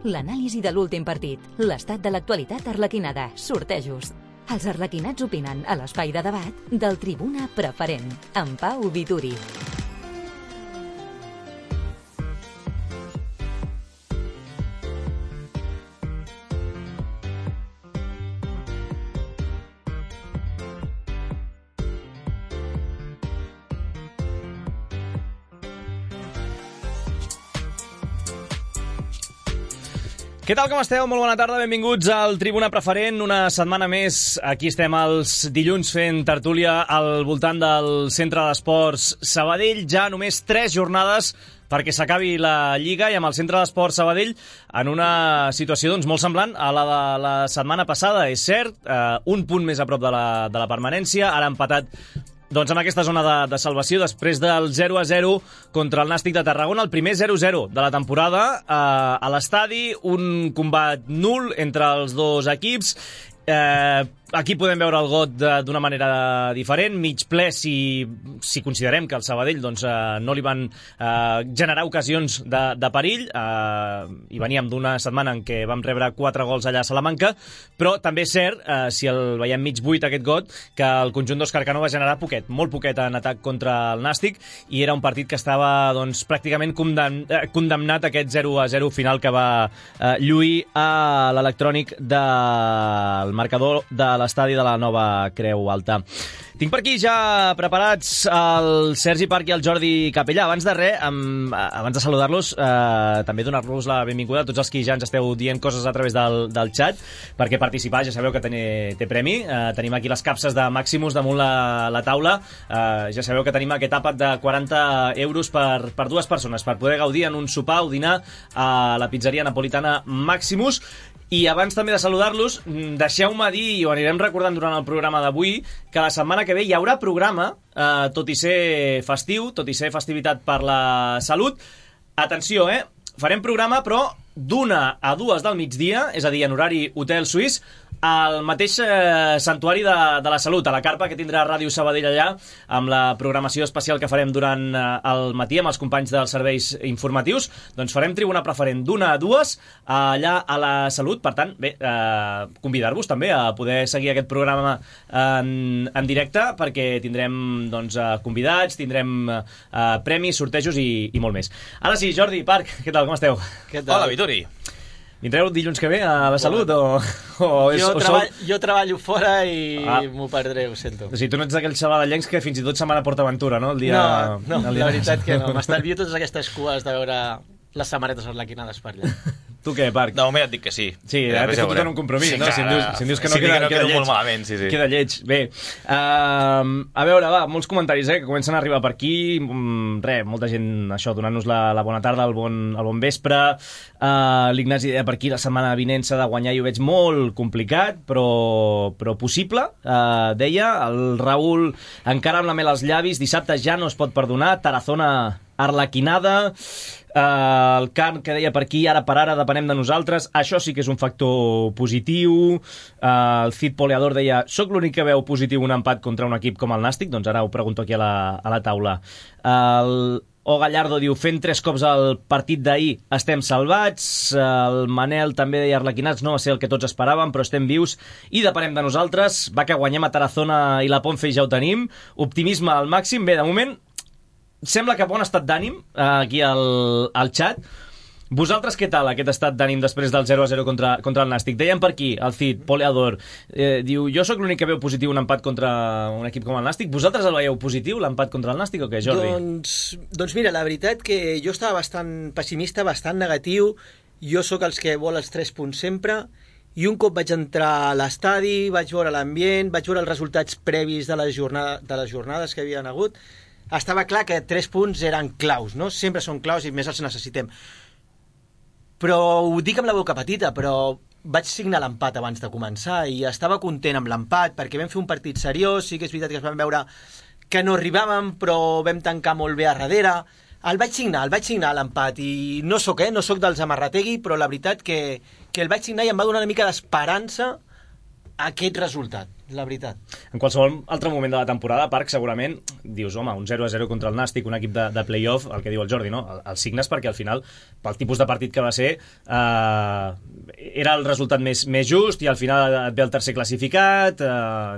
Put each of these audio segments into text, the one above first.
l'anàlisi de l'últim partit, l'estat de l'actualitat arlequinada, sortejos. Els arlequinats opinen a l'espai de debat del Tribuna Preferent, amb Pau Vituri. Què tal, com esteu? Molt bona tarda, benvinguts al Tribuna Preferent. Una setmana més, aquí estem els dilluns fent tertúlia al voltant del Centre d'Esports Sabadell. Ja només 3 jornades perquè s'acabi la Lliga i amb el Centre d'Esports Sabadell en una situació molt semblant a la de la setmana passada. És cert, un punt més a prop de la permanència, ara empatat amb aquesta zona de salvació després del 0-0 contra el Nàstic de Tarragona, el primer 0-0 de la temporada a l'estadi, un combat nul entre els dos equips. Aquí podem veure el Got d'una manera diferent, mig ple si considerem que el Sabadell no li van generar ocasions de perill, i veníem d'una setmana en què vam rebre 4 gols allà a Salamanca, però també és cert, si el veiem mig buit aquest Got, que el conjunt d'Òscar Cano va generar molt poquet en atac contra el Nàstic, i era un partit que estava pràcticament condemnat a aquest 0-0 final que va lluir a l'electrònic del marcador de l'estadi de la Nova Creu Alta. Tinc per aquí ja preparats el Sergi Parc i el Jordi Capellà. Abans de res, abans de saludar-los, també donar-los la benvinguda a tots els que ja ens esteu dient coses a través del xat, perquè participar ja sabeu que té premi. Tenim aquí les capses de Maximus damunt la taula. Ja sabeu que tenim aquest àpat de 40 euros per 2 persones, per poder gaudir en un sopar o dinar a la pizzeria napolitana Maximus. I abans també de saludar-los, deixeu-me dir, i ho anirem recordant durant el programa d'avui, que la setmana que ve hi haurà programa, tot i ser festiu, tot i ser festivitat per la salut. Atenció, farem programa, però d'1 a 2 del migdia, és a dir, en horari Hotel Suís, al mateix Santuari de la Salut, a la carpa que tindrà Ràdio Sabadell allà, amb la programació especial que farem durant el matí amb els companys dels serveis informatius. Doncs farem Tribuna Preferent d'1 a 2 allà a la Salut. Per tant, bé, convidar-vos també a poder seguir aquest programa en directe, perquè tindrem convidats, tindrem premis, sortejos i molt més. Ara sí, Jordi, Parc, què tal, com esteu? Hola, Vituri. Vindreu dilluns que ve a la Salut? Jo treballo fora i m'ho perdré, ho sento. O sigui, tu no ets d'aquells xavadellencs que fins i tot se'n van a PortAventura, no? No, la veritat que no. M'estalvio totes aquestes cues de veure les samarretes arlequinades per allà. Tu què, Parc? De moment et dic que sí. Sí, ara t'he fotut en un compromís, no? Si em dius que no, queda lleig. Molt malament, sí. Queda lleig. Bé, a veure, va, molts comentaris que comencen a arribar per aquí. Molta gent, això, donant-nos la bona tarda, el bon vespre. L'Ignasi deia per aquí, la setmana vinent s'ha de guanyar i ho veig molt complicat, però possible, deia. El Raül, encara amb la mel als llavis, dissabte ja no es pot perdonar, Tarazona arlequinada. El Carn que deia per aquí, ara per ara depenem de nosaltres, això sí que és un factor positiu. El Cid Poleador deia, soc l'únic que veu positiu un empat contra un equip com el Nàstic, doncs ara ho pregunto aquí a la taula. El O Gallardo diu, fent 3 cops el partit d'ahir estem salvats. El Manel també deia, arlequinats no va ser el que tots esperàvem, però estem vius i depenem de nosaltres. Va que guanyem a Tarazona i la Ponfe ja ho tenim. Optimisme al màxim. Bé, de moment sembla que bon estat d'ànim aquí al xat. Vosaltres què tal, aquest estat d'ànim després del 0-0 contra el Nàstic? Deien per aquí, el Cid Poleador, diu, jo sóc l'únic que veu positiu un empat contra un equip com el Nàstic. Vosaltres el veieu positiu, l'empat contra el Nàstic, o què, Jordi? Doncs mira, la veritat que jo estava bastant pessimista, bastant negatiu. Jo sóc els que vol els 3 punts sempre, i un cop vaig entrar a l'estadi, vaig veure l'ambient, vaig veure els resultats previs de les jornades que havien hagut, estava clar que 3 punts eren claus, no? Sempre són claus i més els necessitem. Però ho dic amb la boca petita, però vaig signar l'empat abans de començar i estava content amb l'empat perquè vam fer un partit seriós. Sí que és veritat que es vam veure que no arribàvem, però vam tancar molt bé a darrere. El vaig signar l'empat i no sóc dels amarrategui, però la veritat que el vaig signar i em va donar una mica d'esperança aquest resultat, la veritat. En qualsevol altre moment de la temporada, Parc, segurament, dius, home, un 0-0 contra el Nàstic, un equip de play-off, el que diu el Jordi, no? El signes perquè al final, pel tipus de partit que va ser, era el resultat més just i al final et ve el tercer classificat,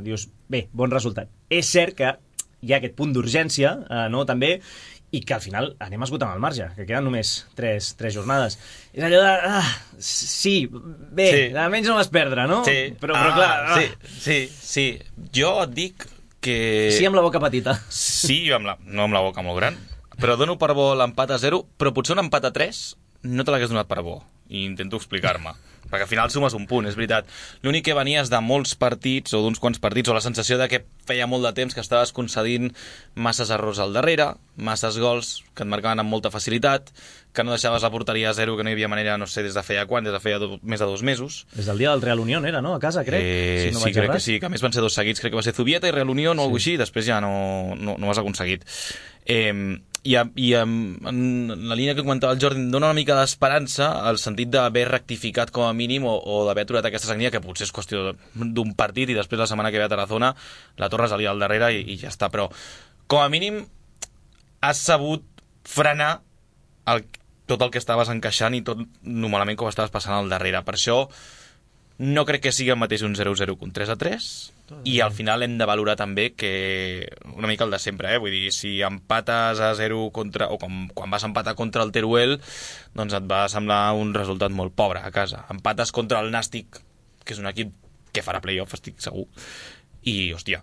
dius, bé, bon resultat. És cert que hi ha aquest punt d'urgència, no?, també, i que al final anem esgotant el marge, que queden només 3 jornades. És allò de... sí, bé, almenys no vas perdre, no? Sí, però clar... Sí. Jo et dic que... Sí, amb la boca petita. Sí, no amb la boca molt gran, però dono per bo l'empat a 0, però potser un empat a 3 no te l'hagués donat per bo, i intento explicar-me. Perquè al final sumes un punt, és veritat. L'únic que venies de molts partits, o d'uns quants partits, o la sensació de que feia molt de temps que estaves concedint masses errors al darrere, masses gols que et marcaven amb molta facilitat, que no deixaves la porteria a 0, que no hi havia manera, no sé, des de feia quan, des de feia més de 2 mesos. Des del dia del Real Unión era, no? A casa, crec. Si no crec que sí, que a més van ser 2 seguits, crec que va ser Zubieta i Real Unión o alguna cosa així, després ja no ho has aconseguit. I en la línia que comentava el Jordi, dona una mica d'esperança al sentit d'haver rectificat com a mínim o d'haver aturat aquesta sagnia, que potser és qüestió d'un partit i després la setmana que ve a Tarazona la torres ali al darrere i ja està, però com a mínim has sabut frenar tot el que estaves encaixant i tot normalment com estaves passant al darrere. Per això no crec que sigui el mateix un 0-0 que un 3-3, i al final hem de valorar també que una mica el de sempre, vull dir, si empates a 0 o quan vas empatar contra el Teruel, doncs et va semblar un resultat molt pobre a casa. Empates contra el Nàstic, que és un equip que farà play-off, estic segur, i, hòstia,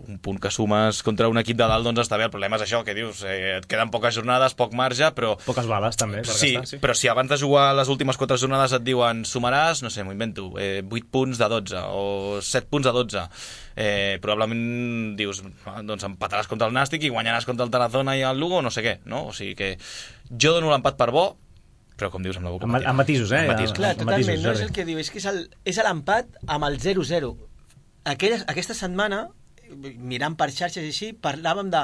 un punt que sumes contra un equip de dalt, doncs està bé. El problema és això, que dius, et queden poques jornades, poc marge, però... Poques bales, també, per sí, gastar, sí. Però si abans de jugar les últimes 4 jornades et diuen sumaràs, no sé, m'ho invento, 8 punts de 12 o 7 punts de 12, probablement dius, doncs empataràs contra el Nàstic i guanyaràs contra el Tarazona i el Lugo, no sé què, no? O sigui que jo dono l'empat per bo, però com dius, amb la boca petita. Amb matisos, Amb matisos. Clar, totalment, no és el que diu, és que és l'empat amb el 0-0. Aquesta setmana, mirant per xarxes i així, parlàvem de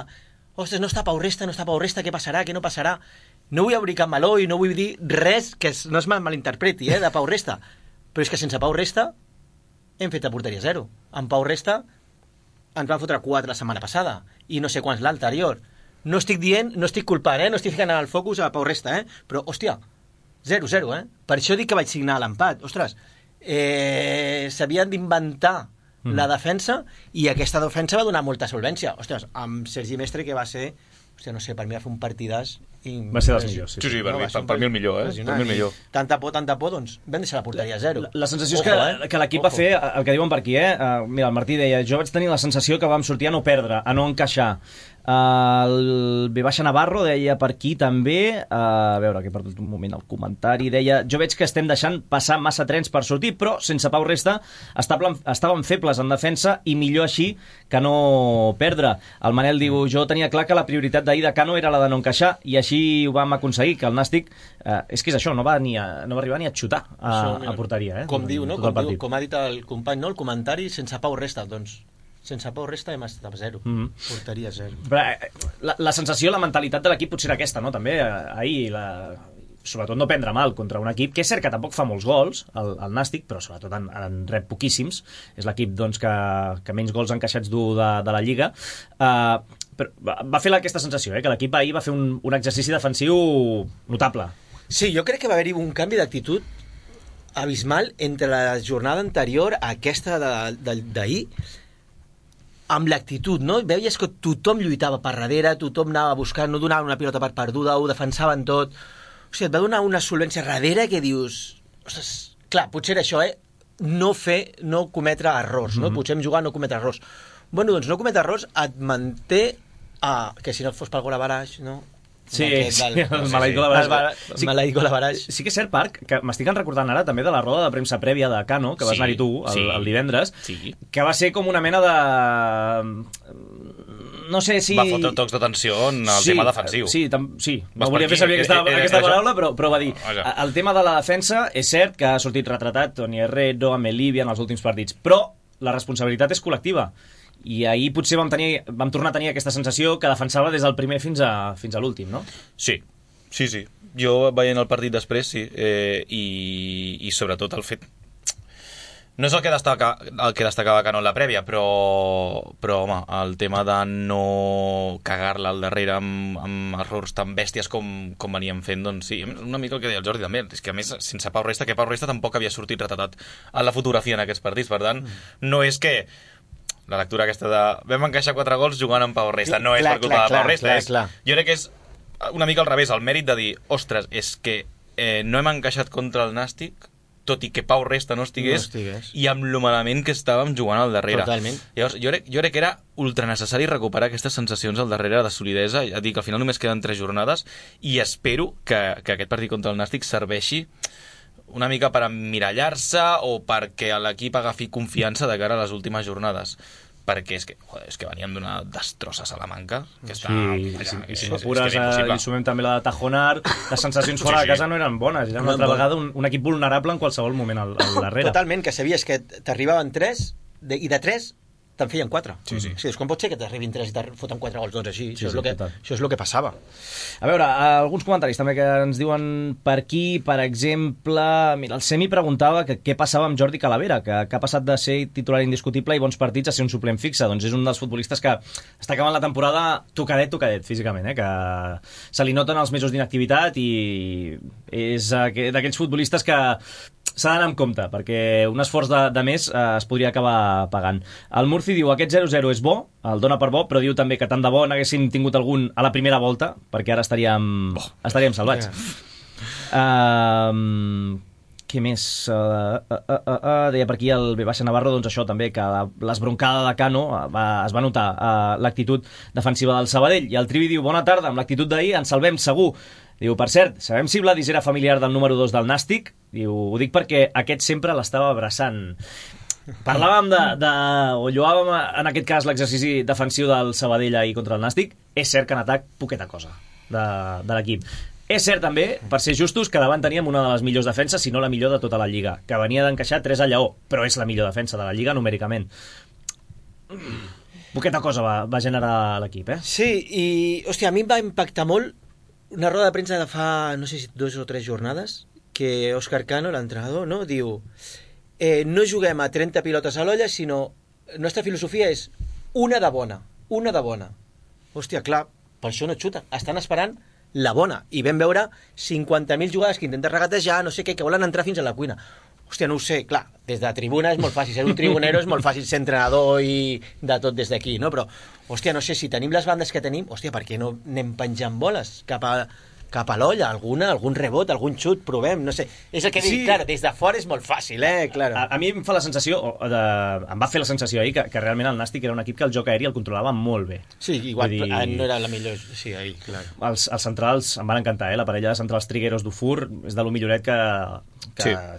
ostres, no està Pau Resta, què passarà, què no passarà. No vull obrir cap meló i no vull dir res que no es malinterpreti, de Pau Resta. Però és que sense Pau Resta hem fet a porteria 0. Amb Pau Resta ens van fotre 4 la setmana passada i no sé quants l'anterior. No estic dient, no estic culpant, no estic ficant el focus a Pau Resta, però, hòstia, 0-0, Per això dic que vaig signar l'empat. Ostres, s'havien d'inventar la defensa, i aquesta defensa va donar molta solvència. Ostres, amb Sergi Mestre, que va ser, hòstia, no sé, per mi va fer un partidàs... Va ser dels millors, sí. Sí, per mi el millor, per mi el millor. Tanta por, doncs vam deixar la porteria a 0. La sensació és que l'equip va fer el que diuen per aquí, Mira, el Martí deia, jo vaig tenir la sensació que vam sortir a no perdre, a no encaixar. El V. Navarro deia per aquí també, a veure, que he perdut un moment el comentari, deia, jo veig que estem deixant passar massa trens per sortir, però sense Pau Resta estàvem febles en defensa i millor així que no perdre. El Manel diu, jo tenia clar que la prioritat d'ahir de Cano era la de no encaixar, i així ho vam aconseguir, que el Nàstic és que és això, no va arribar ni a xutar a porteria. Com diu, no? Com ha dit el company, no? El comentari, sense Pau Resta, doncs sense Pau Resta hem estat a 0. Porteria 0. Però la sensació, la mentalitat de l'equip potser era aquesta, no? També ahir, sobretot no prendre mal contra un equip que és cert que tampoc fa molts gols, el Nàstic, però sobretot en rep poquíssims. És l'equip doncs, que menys gols encaixats du de la Lliga. Però va fer aquesta sensació, que l'equip ahir va fer un exercici defensiu notable. Sí, jo crec que va haver-hi un canvi d'actitud abismal entre la jornada anterior a aquesta d'ahir, amb l'actitud, no? Veies que tothom lluitava per darrere, tothom anava a buscar, no donava una pilota per perduda, ho defensaven tot. O sigui, et va donar una solvència darrere que dius... Ostres, clar, potser era això, no cometre errors, no? Potser hem jugat a no cometre errors. Bueno, doncs no cometre errors et manté que si no fos pel Golavaraix, no? Sí, el maleït Golavaraix. Maleït Golavaraix. Sí que és cert, Parc, que m'estic recordant ara també de la roda de premsa prèvia de Cano, que vas anar-hi tu el divendres, que va ser com una mena de... No sé si... Va fotre tocs d'atenció en el tema defensiu. Sí, no volia fer servir aquesta paraula, però va dir, el tema de la defensa és cert que ha sortit retratat Toni Herrero, Amelivia en els últims partits, però la responsabilitat és col·lectiva. I ahir potser vam tornar a tenir aquesta sensació que defensava des del primer fins a l'últim, no? Sí. Jo veient el partit després, sí, i sobretot el fet... No és el que destacava Cano en la prèvia, però home, el tema de no cagar-la al darrere amb errors tan bèsties com veníem fent, doncs sí, una mica el que deia el Jordi també, és que a més, sense Pau Resta, que Pau Resta tampoc havia sortit retratat a la fotografia en aquests partits, per tant, no és que la lectura aquesta de vam encaixar 4 gols jugant amb Pau Resta, no és per culpa de Pau Resta, jo crec que és una mica al revés, el mèrit de dir, ostres, és que no hem encaixat contra el Nàstic, tot i que Pau Resta no estigués, i amb lo malament que estàvem jugant al darrere. Totalment. Llavors, jo crec que era ultra necessari recuperar aquestes sensacions al darrere de solidesa, ja dic que al final només queden 3 jornades, i espero que aquest partit contra el Nàstic serveixi una mica per emmirallar-se o perquè l'equip agafi confiança de cara a les últimes jornades. Perquè és que veníem d'una destrossa a Salamanca que està... I si m'apures li sumem també la de Tajonar, les sensacions fora de casa no eren bones, era una altra vegada un equip vulnerable en qualsevol moment al darrere. Totalment, que sabies que t'arribaven 3 i de 3 te'n feien 4. Sí. Com pot ser que t'arribin 3 i te foten 4 gols? Doncs així, això és el que passava. A veure, alguns comentaris també que ens diuen per aquí, per exemple, mira, el Semi preguntava que què passava amb Jordi Calavera, que ha passat de ser titular indiscutible i bons partits a ser un suplent fixe. Doncs és un dels futbolistes que està acabant la temporada tocadet físicament, que se li noten els mesos d'inactivitat i és d'aquells futbolistes que s'ha d'anar amb compte, perquè un esforç de més es podria acabar pagant. El Murci diu, aquest 0-0 és bo, el dona per bo, però diu també que tant de bo n'haguéssim tingut algun a la primera volta, perquè ara estaríem salvats. Què més? Deia per aquí el B. Navarro, doncs això també, que l'esbroncada de Cano es va notar l'actitud defensiva del Sabadell. I el Trivi diu, bona tarda, amb l'actitud d'ahir ens salvem segur. Diu, per cert, sabem si Vladis era familiar del número 2 del Nàstic? Diu, ho dic perquè aquest sempre l'estava abraçant. Parlàvem o lloàvem en aquest cas l'exercici defensiu del Sabadell ahir contra el Nàstic. És cert que en atac poqueta cosa de l'equip. És cert també, per ser justos, que davant teníem una de les millors defenses, si no la millor de tota la Lliga, que venia d'encaixar 3 a Lleó, però és la millor defensa de la Lliga numèricament. Poqueta cosa va generar l'equip, Sí, i, hòstia, a mi em va impactar molt una roda de premsa de fa, no sé si 2 o 3 jornades, que Óscar Cano, l'entrenador, no, diu no juguem a 30 pilotes a l'olla, sinó la nostra filosofia és una de bona. Hòstia, clar, per això no xuta. Estan esperant la bona. I vam veure 50.000 jugades que intenten regatejar, no sé què, que volen entrar fins a la cuina. Hòstia, no ho sé, clar, des de tribuna és molt fàcil, ser un tribunero és molt fàcil ser entrenador i de tot des d'aquí, no? Però, hòstia, no sé, si tenim les bandes que tenim, hòstia, per què no anem penjant boles cap a l'olla, algun rebot, algun xut, provem, no sé. És el que dic, clar, des de fora és molt fàcil, claro. A mi em fa la sensació, em va fer la sensació ahir que realment el Nàstic era un equip que el joc aeri el controlava molt bé. Sí, igual, no era la millor, sí, ahir, clar. Els centrals em van encantar, la parella de centrals Trigueros d'Ufur és de lo milloret que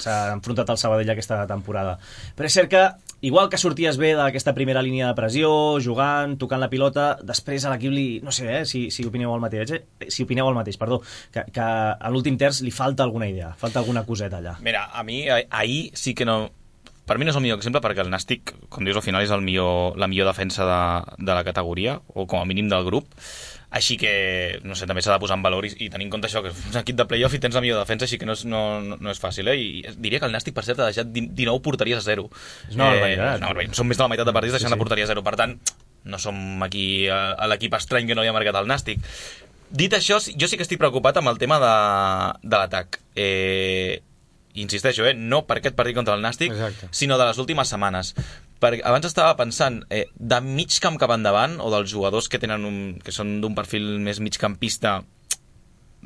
s'ha enfrontat al Sabadell aquesta temporada. Però és cert que, igual que sorties bé d'aquesta primera línia de pressió, jugant, tocant la pilota, després a l'equip no sé si opineu el mateix, que a l'últim terç li falta alguna idea, falta alguna coseta allà. Mira, a mi ahir sí que no... Per mi no és el millor exemple perquè el Nàstic, com dius, al final és la millor defensa de la categoria, o com a mínim del grup. Així que, no sé, també s'ha de posar en valor i tenir en compte això, que és un equip de play-off i tens la millor defensa, així que no és fàcil, I diria que el Nàstic, per cert, ha deixat 19 porteries a 0. És una barbaritat. Són més de la meitat de partits deixant la porteria a 0. Per tant, no som aquí a l'equip estrany que no li ha marcat el Nàstic. Dit això, jo sí que estic preocupat amb el tema de l'atac. Insisteixo, no per aquest partit contra el Nàstic, sinó de les últimes setmanes. Perquè abans estava pensant, de mig camp cap endavant, o dels jugadors que són d'un perfil més migcampista,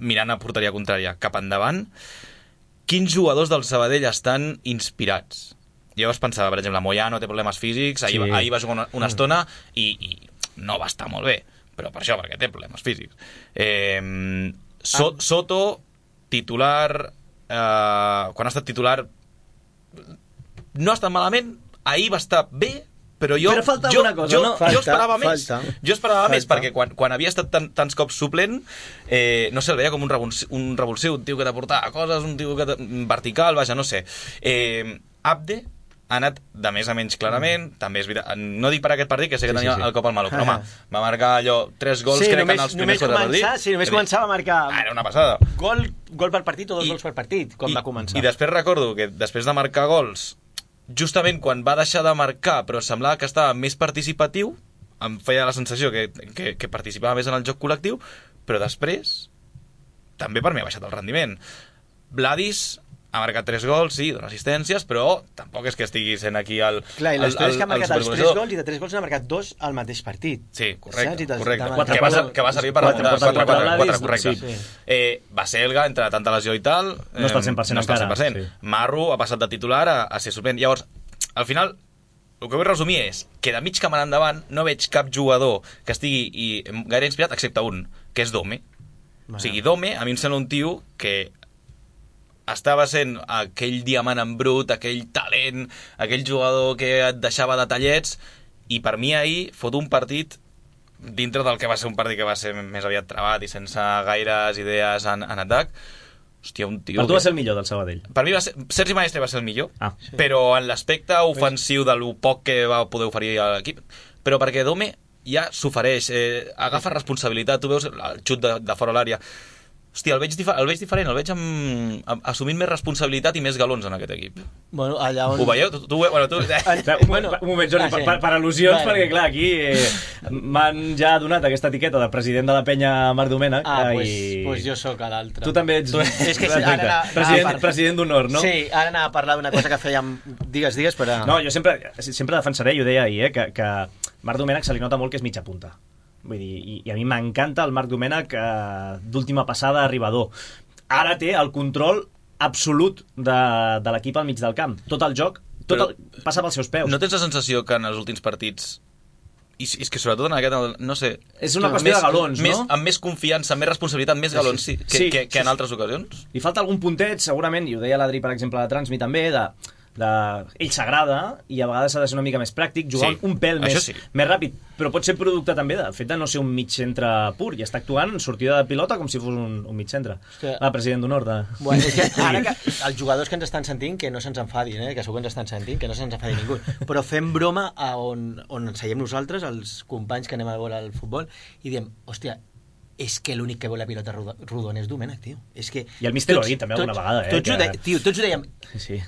mirant a porteria contrària cap endavant, quins jugadors del Sabadell estan inspirats? Llavors pensava, per exemple, Moyano té problemes físics, ahir va jugar una estona i no va estar molt bé, però per això, perquè té problemes físics. Soto, titular... quan ha estat titular no ha estat malament, ahir va estar bé, però falta alguna cosa, no? Jo esperava més. Jo esperava més, perquè quan havia estat tants cops suplent, no sé, el veia com un revulsiu, un tio que t'aportava coses, un tio vertical, vaja, no sé. Abde ha anat de més a menys clarament, també és veritat, no dic per aquest partit, que sé que tenia el cop al malo, però home, va marcar allò 3 gols, crec que en els primers 4 partits. Sí, només començava a marcar... Era una passada. Gol per partit o 2 gols per partit, quan va començar. I després recordo que després de marcar gols justament quan va deixar de marcar, però semblava que estava més participatiu, em feia la sensació que participava més en el joc col·lectiu, però després també per mi ha baixat el rendiment. Vladis ha marcat 3 gols, sí, dona assistències, però tampoc és que estigui sent aquí el... Clar, i l'història és que ha marcat els 3 gols i de 3 gols n'ha marcat 2 al mateix partit. Sí, correcte. Saps? Que va servir per remuntar 4-4, correcte. Sí. Baselga, entre tanta lesió i tal... No està al 100% encara. Sí. Marro ha passat de titular a ser suplent. Llavors, al final, el que vull resumir és que de mig camp en endavant no veig cap jugador que estigui gaire inspirat, excepte un, que és Dome. O sigui, Dome, a mi em sembla un tio que estava sent aquell diamant en brut, aquell talent, aquell jugador que et deixava detallets, i per mi ahir fot un partit dintre del que va ser un partit que va ser més aviat trabat i sense gaires idees en atac. Hòstia, un tio... Per tu va ser el millor del Sabadell? Per mi Sergi Maestre va ser el millor, però en l'aspecte ofensiu de lo poc que va poder oferir a l'equip, però perquè Dome ja s'ofereix, agafa responsabilitat, tu veus el xut de fora l'àrea. Hòstia, el veig diferent, el veig assumint més responsabilitat i més galons en aquest equip. Bueno, allà on... Ho veieu? Un moment, Jordi, per al·lusions, perquè clar, aquí m'han ja donat aquesta etiqueta de president de la penya Marc Domènec. Pues jo sóc l'altre. Tu també ets president d'honor, no? Sí, ara anava a parlar d'una cosa que fèiem... Digues, però... No, jo sempre defensaré, i ho deia ahir, que Marc Domènec se li nota molt que és mitja punta. Vull dir, i a mi m'encanta el Marc Domènech d'última passada arribador. Ara té el control absolut de l'equip al mig del camp. Tot el joc passa pels seus peus. No tens la sensació que en els últims partits, i és que sobretot en aquest, no sé... És una qüestió de galons, no? Amb més confiança, amb més responsabilitat, més galons que en altres ocasions? Li falta algun puntet, segurament, i ho deia l'Adri, per exemple, de Transmi també, ell s'agrada i a vegades ha de ser una mica més pràctic, jugar un pèl més ràpid, però pot ser producte també del fet de no ser un mig centre pur i està actuant en sortida de pilota com si fos un mig centre. President d'honor Bueno, és que ara que els jugadors que ens estan sentint que no se'ns enfadin, que segur que ens estan sentint, que no se'ns enfadi ningú, però fem broma on ens seiem nosaltres, els companys que anem a veure el futbol, i diem, hòstia, és que l'únic que vol la pilota rodona és Domènech, tio. És que i el míster ho ha dit també alguna vegada, tots ho dèiem.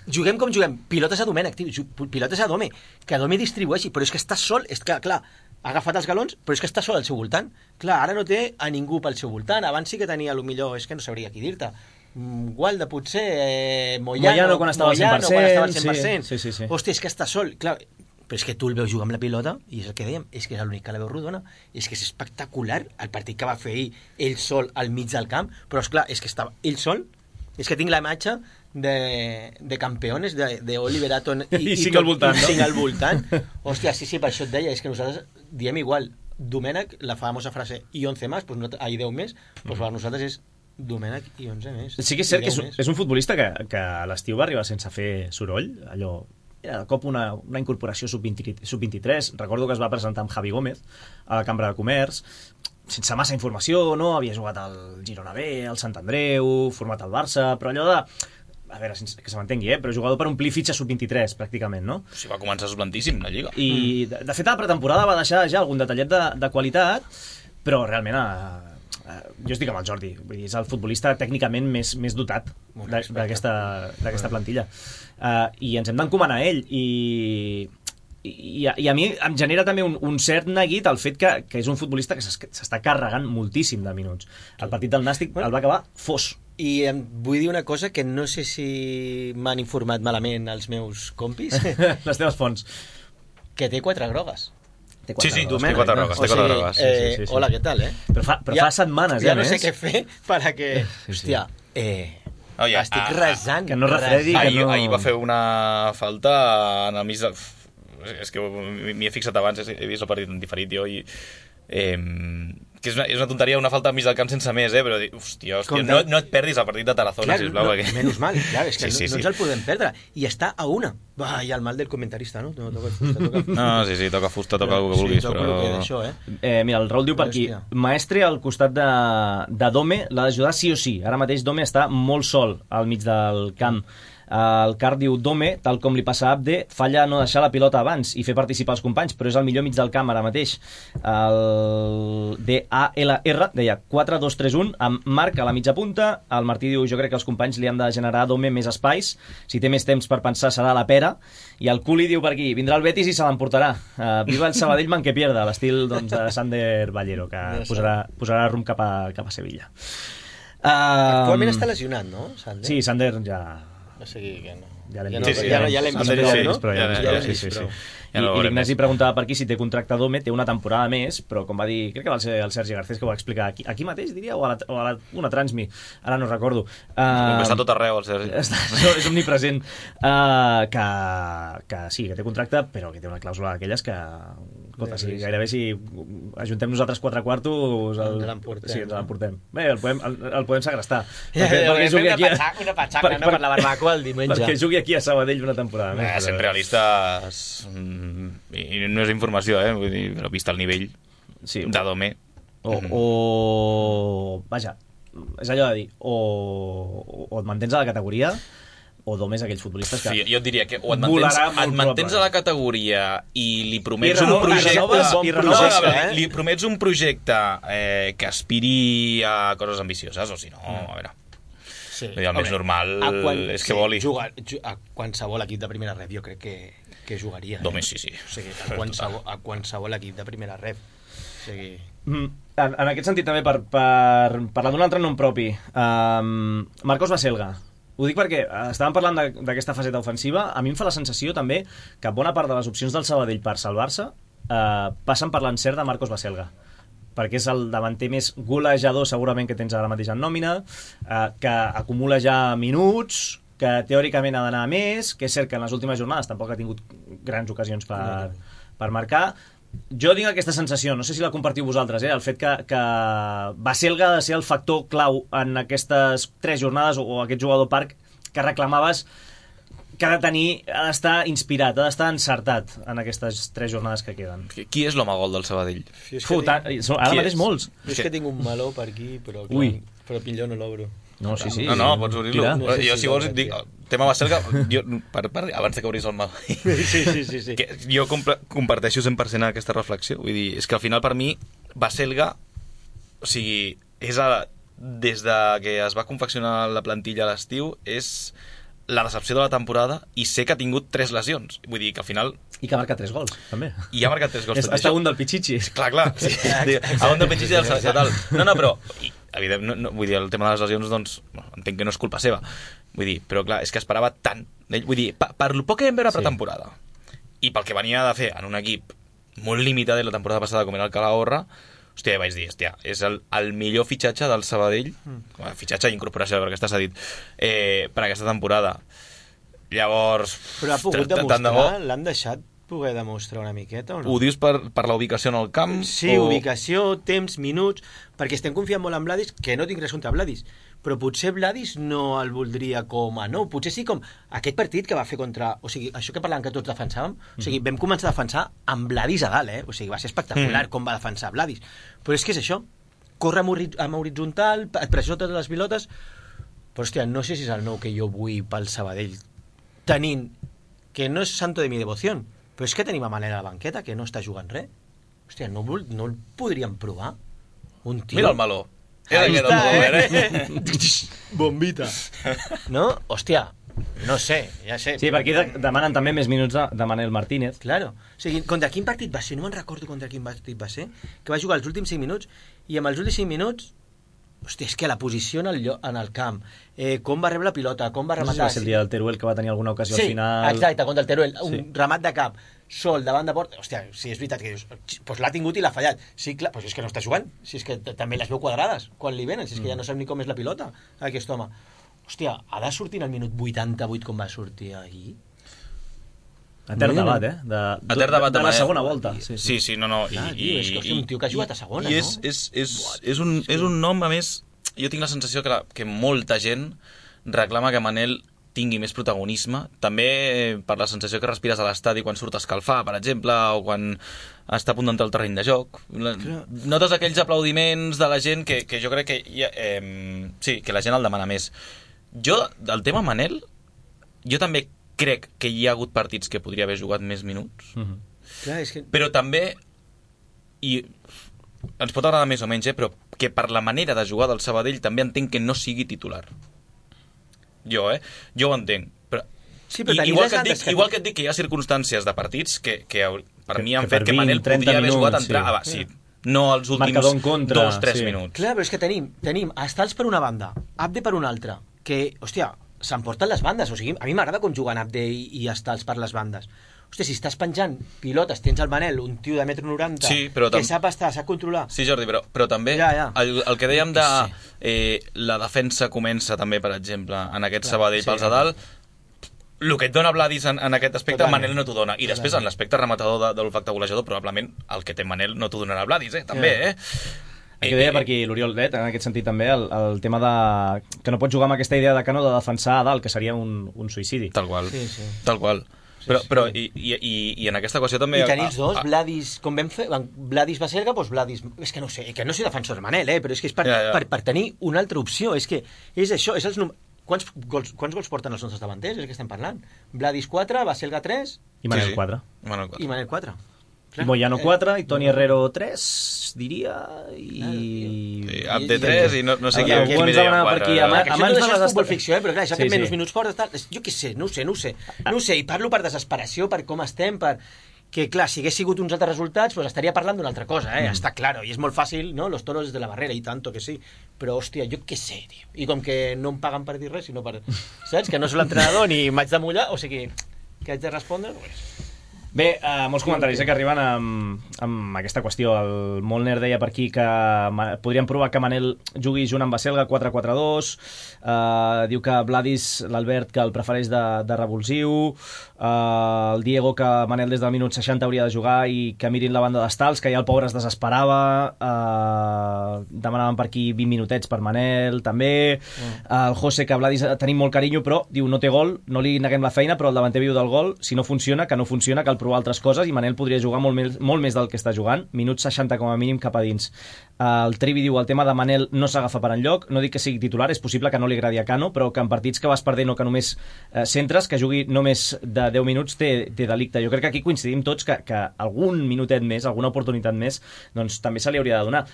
Juguem com juguem, pilotes a Domènech, tio, pilotes a Dome, que Dome distribueixi, però és que està sol, és que, clar, ha agafat els galons, però és que està sol al seu voltant. Clar, ara no té a ningú pel seu voltant, abans sí que tenia, millor, és que no sabria qui dir-te. Gualda, potser, Moyano quan estava al 100%. Sí. Hòstia, és que està sol, clar. Però és que tu el veus jugar amb la pilota i és el que dèiem, és que és l'únic que la veu rodona, és que és espectacular el partit que va fer ell sol al mig del camp, però esclar, és que estava ell sol, és que tinc la imatge de campeones de Oliver Aton i cinc al voltant, no? Cinc al voltant. Hòstia, sí, per això et deia, és que nosaltres diem igual, Domènech, la famosa frase i 11 més, doncs 10 més, doncs per nosaltres és Domènech i 11 més. Sí que és cert que és un futbolista que a l'estiu va arribar sense fer soroll, allò... Era de cop una incorporació sub-23. Recordo que es va presentar amb Javi Gómez a la Cambra de Comerç, sense massa informació, no? Havia jugat al Girona B, al Sant Andreu, format al Barça, però allò de... A veure, que se m'entengui, però jugador per omplir fitxa sub-23, pràcticament, no? Sí, va començar suplantíssim, la Lliga. I, de fet, a la pretemporada va deixar ja algun detallet de qualitat, però realment... jo estic amb el Jordi, vull dir, és el futbolista tècnicament més dotat d'aquesta plantilla, i ens hem d'encomanar a ell, i a mi em genera també un cert neguit el fet que és un futbolista que s'està carregant moltíssim de minuts. El partit del Nàstic el va acabar fos. I em vull dir una cosa que no sé si m'han informat malament els meus compis. Les teves fonts. Que té 4 grogues. Sí, té 4 grogues. Hola, què tal, Però fa setmanes, ja no sé què fer para que... Hòstia, estic resant. Que no refredi, que no... Ahir va fer una falta en el mig del... És que m'hi he fixat abans, he vist el partit en diferit jo i... que és una tonteria, una falta al mig del camp sense més, però hòstia, no et perdis el partit de Tarazona, sisplau. Menys mal, clar, és que no ens el podem perdre. I està a una. I el mal del comentarista, no? Toca fusta. No, sí, toca fusta, toca el que vulguis. Mira, el Raül diu per aquí, Maestre al costat de Dome l'ha d'ajudar sí o sí. Ara mateix Dome està molt sol al mig del camp. El Car diu Dome, tal com li passa a Abde, falla no deixar la pilota abans i fer participar els companys, però és el millor mig del camp ara mateix. El DALR deia 4-2-3-1 amb Marc a la mitja punta. El Martí diu jo crec que els companys li han de generar a Dome més espais, si té més temps per pensar serà la pera. I el Culi diu per aquí, vindrà el Betis i se l'emportarà. Viva el Sabadell man que pierda, l'estil doncs, de Sander Ballero, que posarà rumb cap a Sevilla. Actualment està lesionat, no, Sander? Sí, Sander ja... O sigui que no. Ja l'hem vist. Ja l'hem vist prou, no? I l'Ignasi preguntava per aquí si té contracte Dome, té una temporada més, però com va dir, crec que va ser el Sergi Garcés que ho va explicar aquí mateix, diria, o a una Transmi, ara no recordo. Està tot arreu, el Sergi. És omnipresent. Que sí, que té contracte, però que té una clàusula d'aquelles que... Escolta, sí, gairebé si ajuntem nosaltres 4 quartos ens l'emportem. Bé, el podem segrestar. Perquè jugui aquí una patxaca per la barbacoa el diumenge. Perquè jugui aquí a Sabadell una temporada més. Sent realistes, i no és informació, vull dir, però vist el nivell de Dome. Vaja, és allò de dir, o et mantens a la categoria o Dome és aquells futbolistes que... Sí, jo et diria que o et mantens a la categoria i li promets un projecte... Li promets un projecte que aspiri a coses ambicioses, o si no, a veure... El més normal és que voli. A qualsevol equip de primera ref jo crec que jugaria. Dome sí. O sigui, a qualsevol equip de primera ref. O sigui... En aquest sentit també, per parlar d'un altre nom propi, Marcos Baselga. Ho dic perquè estàvem parlant d'aquesta faceta ofensiva. A mi em fa la sensació també que bona part de les opcions del Sabadell per salvar-se passen per l'encert de Marcos Baselga, perquè és el davanter més golejador segurament que tens ara mateix en nòmina, que acumula ja minuts, que teòricament ha d'anar a més, que és cert que en les últimes jornades tampoc ha tingut grans ocasions per marcar. Jo tinc aquesta sensació, no sé si la compartiu vosaltres, el fet que Baselga ha de ser el factor clau en aquestes 3 jornades, o aquest jugador parc que reclamaves, que ha d'estar inspirat, ha d'estar encertat en aquestes 3 jornades que queden. Qui és l'home gol del Sabadell? Ara mateix molts. Jo és que tinc un meló per aquí, però millor no l'obro. No, sí. No, pots obrir-lo. Jo, si vols, dic, tema Baselga, abans que obris el mal. Sí. Jo comparteixo 100% aquesta reflexió. Vull dir, és que al final per mi Baselga, o sigui, des de que es va confeccionar la plantilla a l'estiu, és la decepció de la temporada, i sé que ha tingut 3 lesions. Vull dir que al final... I que ha marcat 3 gols, també. I ha marcat 3 gols. Està un del Pichichi. Clar. Sí. A un del Pichichi del tal. No, però... Evidentment, vull dir, el tema de les lesions, doncs, entenc que no és culpa seva. Vull dir, però clar, és que esperava tant. Vull dir, per el poc que vam veure a pretemporada, i pel que venia de fer en un equip molt limitat la temporada passada, com era el Calahorra, hòstia, vaig dir, és el millor fitxatge del Sabadell, fitxatge i incorporació, perquè està cedit, per aquesta temporada. Llavors... Però ha pogut demostrar, l'han deixat poder demostrar una miqueta o no? Ho dius per la ubicació en el camp? Sí, ubicació, temps, minuts, perquè estem confiant molt en Vladis, que no tinc res contra Vladis, però potser Vladis no el voldria com a nou, potser sí com aquest partit que va fer contra... O sigui, això que parlàvem que tots defensàvem, o sigui, vam començar a defensar amb Vladis a dalt, o sigui, va ser espectacular com va defensar Vladis, però és que és això, corre amb horitzontal, et pressiona totes les pilotes, però hòstia, no sé si és el nou que jo vull pel Sabadell, tenint que no és santo de mi devoció, però és que tenim a Manel a la banqueta, que no està jugant res. Hòstia, no el podríem provar? Un tio... Mira el meló. Ahí està, Bombita. No? Hòstia, no sé, ja sé. Sí, per aquí demanen també més minuts de Manel Martínez. Claro. O sigui, contra quin partit va ser? No me'n recordo contra quin partit va ser, que va jugar els últims 5 minuts, i amb els últims 5 minuts... Hòstia, és que la posició en el camp, com va rebre la pilota, com va rematar... No sé si va ser el dia del Teruel que va tenir alguna ocasió al final... Sí, exacte, contra el Teruel, un remat de cap, sol, davant de porta... Hòstia, si és veritat que dius, doncs l'ha tingut i l'ha fallat. Sí, clar, però si és que no està jugant, si és que també les veu quadrades quan li venen, si és que ja no sap ni com és la pilota, aquest home. Hòstia, ha de sortir en el minut 88 com va sortir ahir? Etern debat, de la segona volta. Sí, no. És un tio que ha jugat a segona, no? I és un nom, a més, jo tinc la sensació que molta gent reclama que Manel tingui més protagonisme, també per la sensació que respires a l'estadi quan surt a escalfar, per exemple, o quan està a punt d'entrar al terreny de joc. Notes aquells aplaudiments de la gent que jo crec que sí, que la gent el demana més. Jo, del tema Manel, jo també crec que hi ha hagut partits que podria haver jugat més minuts, Clar, és que... però també, i ens pot agradar més o menys, però que per la manera de jugar del Sabadell també entenc que no sigui titular. Jo ho entenc. Però... Sí, però igual que et dic que hi ha circumstàncies de partits que per mi han fet que Manel podria haver jugat a entrar... Sí. No els últims 2-3 minuts. Clar, però és que tenim Estals per una banda, Abde per una altra, que, hòstia, s'emporten les bandes. O sigui, a mi m'agrada com juguen Abde i Estals per les bandes. Hòstia, si estàs penjant pilotes, tens el Manel, un tio de 1,90 m, que sap estar, sap controlar. Sí, Jordi, però també el que dèiem de la defensa comença també, per exemple, en aquest Sabadell pels a dalt, el que et dona Vladis en aquest aspecte, Manel no t'ho dona. I després, en l'aspecte rematador de l'olfacte golejador, probablement el que té Manel no t'ho donarà Vladis, també, El que deia per aquí l'Oriol Let, en aquest sentit també, el tema de que no pots jugar amb aquesta idea de Cano de defensar a dalt, que seria un suïcidi. Tal qual, tal qual. Però i en aquesta qüestió també... I tenir els dos, Vladis, com vam fer, Vladis Baselga, doncs Vladis... És que no sé, que no soy defensor de Manel, però és que és per tenir una altra opció, és que és això, és els Quants gols porten els nostres davanters? És el que estem parlant. Vladis 4, Baselga 3... I Manel 4. I Manel 4. I Moyano 4, i Toni Herrero 3, diria, i... Abde 3, i no sé qui és més allà 4. Abans de les futbol ficció, però clar, això que menys minuts fora... Jo què sé, no ho sé, i parlo per desesperació, per com estem, que clar, si hagués sigut uns altres resultats, pues estaria parlant d'una altra cosa, està claro, i és molt fàcil, no? Los toros de la barrera, i tanto que sí, però hòstia, jo què sé, tio, i com que no em paguen per dir res, sinó per, saps, que no soc l'entrenador ni m'haig de mullar, o sigui, que haig de respondre, pues... Bé, molts comentaris que arriben amb aquesta qüestió. El Molner deia per aquí que podríem provar que Manel jugui junt amb Baselga 4-4-2, diu que Vladis, l'Albert, que el prefereix de revulsiu, el Diego que Manel des del minut 60 hauria de jugar i que mirin la banda d'Estals, que ja el pobre es desesperava, demanaven per aquí 20 minutets per Manel també, el José que Vladis tenim molt carinyo però diu no té gol, no li neguem la feina però el davanter viu del gol, si no funciona, que no funciona, cal provar altres coses i Manel podria jugar molt més del que està jugant, minut 60 com a mínim cap a dins. El Trivi diu el tema de Manel no s'agafa per enlloc, no dic que sigui titular, és possible que no li agradi a Cano, però que en partits que vas perdent o que només centres, que jugui només de 10 minuts té delicte. Jo crec que aquí coincidim tots que algun minutet més, alguna oportunitat més, doncs també se li hauria de donar.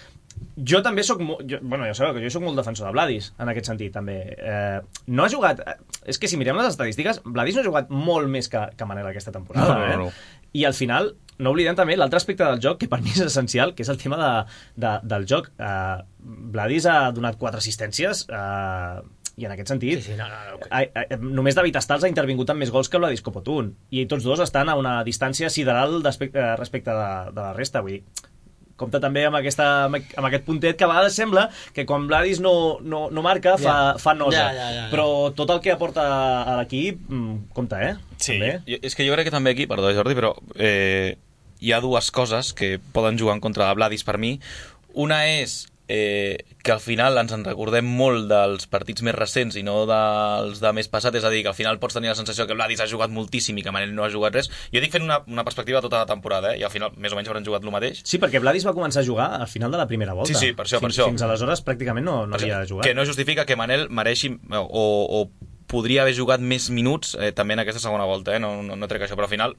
Jo també soc ja sabeu que jo soc molt defensor de Vladis en aquest sentit també. No ha jugat, és que si mirem les estadístiques, Vladis no ha jugat molt més que Manel aquesta temporada. No. I al final no oblidem també l'altre aspecte del joc que per mi és essencial, que és el tema del joc. Vladis ha donat 4 assistències i en aquest sentit només David Estals ha intervingut amb més gols que Vladis Copotun i tots dos estan a una distància sideral respecte de la resta. Vull dir, compta també amb aquest puntet que a vegades sembla que quan Vladis no marca fa nosa, però tot el que aporta a l'equip compta, Sí, és que jo crec que també aquí, perdó Jordi, però hi ha dues coses que poden jugar en contra de Vladis per mi. Una és que al final ens en recordem molt dels partits més recents i no dels de més passat, és a dir, que al final pots tenir la sensació que Vladis ha jugat moltíssim i que Manel no ha jugat res. Jo dic fent una perspectiva tota la temporada, i al final més o menys hauran jugat el mateix. Sí, perquè Vladis va començar a jugar al final de la primera volta. Sí, per això. Fins aleshores pràcticament no havia jugat. Que no justifica que Manel mereixi o podria haver jugat més minuts també en aquesta segona volta, no trec això, però al final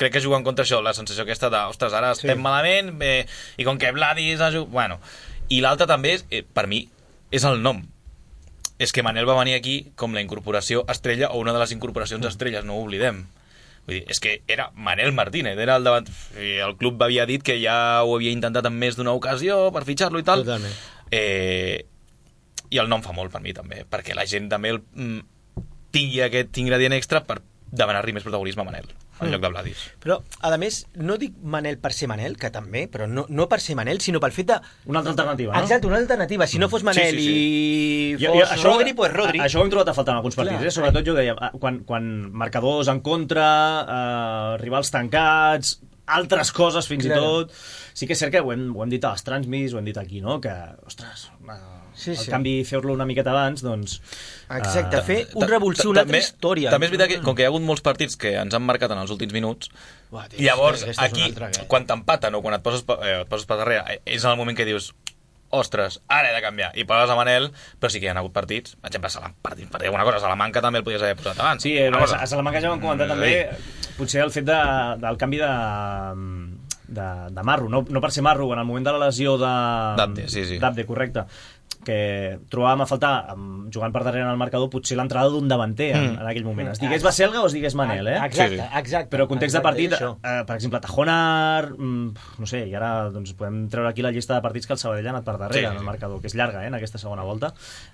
crec que juguen contra això, la sensació aquesta de, ostres, ara estem malament, i com que Vladis ha jugat... Bueno, i l'altre també, per mi, és el nom. És que Manel va venir aquí com la incorporació estrella, o una de les incorporacions estrelles, no ho oblidem. Vull dir, és que era Manel Martínez, era el davant... El club havia dit que ja ho havia intentat en més d'una ocasió per fitxar-lo i tal. Totalment. I el nom fa molt per mi també, perquè la gent també tingui aquest ingredient extra per demanar-li més protagonisme a Manel en lloc de Vladis. Però, a més, no dic Manel per ser Manel, que també, però no per ser Manel, sinó pel fet de... Una altra alternativa, no? Exacte, una alternativa. Si no fos Manel i fos Rodri, doncs Rodri. Això ho hem trobat a faltar en alguns partits, sobretot jo deia, quan marcadors en contra, rivals tancats, altres coses fins i tot... Sí que és cert que ho hem dit a les transmis, ho hem dit aquí, no? Que, ostres, el canvi fer-lo una miqueta abans, doncs... Exacte, fer un revulsiu, una altra història. També és veritat que, com que hi ha hagut molts partits que ens han marcat en els últims minuts, llavors aquí, quan t'empaten o quan et poses per darrere, és en el moment que dius, ostres, ara he de canviar, i poses a Manel, però sí que hi ha hagut partits, per exemple, alguna cosa, Salamanca també el podies haver posat abans. Sí, a Salamanca ja vam comentar també, potser el fet del canvi de Marro, no per ser Marro, en el moment de la lesió d'Abde, sí. d'Abde, correcte, que trobàvem a faltar, jugant per darrere en el marcador, potser l'entrada d'un davanter en aquell moment. Es digués Baselga o es digués Manel, Exacte. Però context de partit, per exemple, Tajonar, no sé, i ara doncs, podem treure aquí la llista de partits que el Sabadell ha anat per darrere en el marcador, que és llarga, en aquesta segona volta.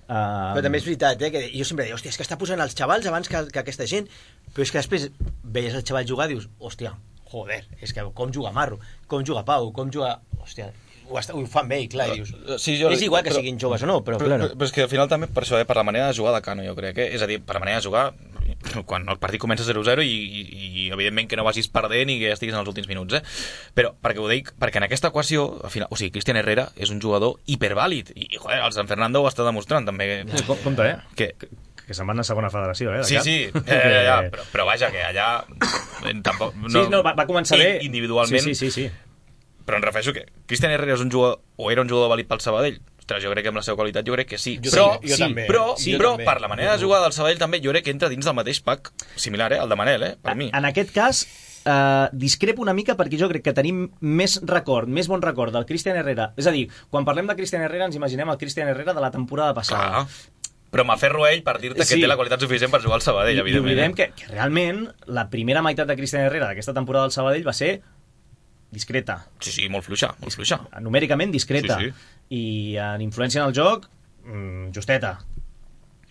Però també és veritat, que jo sempre dic, hòstia, és que està posant els xavals abans que aquesta gent, però és que després veies el xaval jugar i dius, hòstia, joder, és que com juga Marro, com juga Pau, com juga... Hòstia, ho fan bé, clar, i dius... Sí, és igual que siguin joves o no, però clar. Però és que al final també per això, per la manera de jugar de Cano, jo crec, és a dir, per la manera de jugar quan el partit comença 0-0 i evidentment que no vagis perdent i que estiguis en els últims minuts, però perquè ho dic, perquè en aquesta equació al final, o sigui, Cristian Herrera és un jugador hipervàlid i joder, el San Fernando ho està demostrant també. Compte, que se'n van a segona federació, Sí, però vaja, que allà tampoc... va començar bé individualment. Sí. Però em refereixo que Cristian Herrera és un jugador, o era un jugador vàlid pel Sabadell. Ostres, jo crec que amb la seva qualitat jo crec que sí. Però per la manera de jugar del Sabadell també jo crec que entra dins del mateix pack similar, el de Manel, per mi. En aquest cas, discrepo una mica perquè jo crec que tenim més bon record del Cristian Herrera. És a dir, quan parlem de Cristian Herrera ens imaginem el Cristian Herrera de la temporada passada. Però m'aferro a ell per dir-te que té la qualitat suficient per jugar al Sabadell, evidentment. I oblidem que realment la primera meitat de Cristian Herrera d'aquesta temporada del Sabadell va ser discreta. Sí, molt fluixa. Numèricament discreta. Sí. I en influència en el joc, justeta.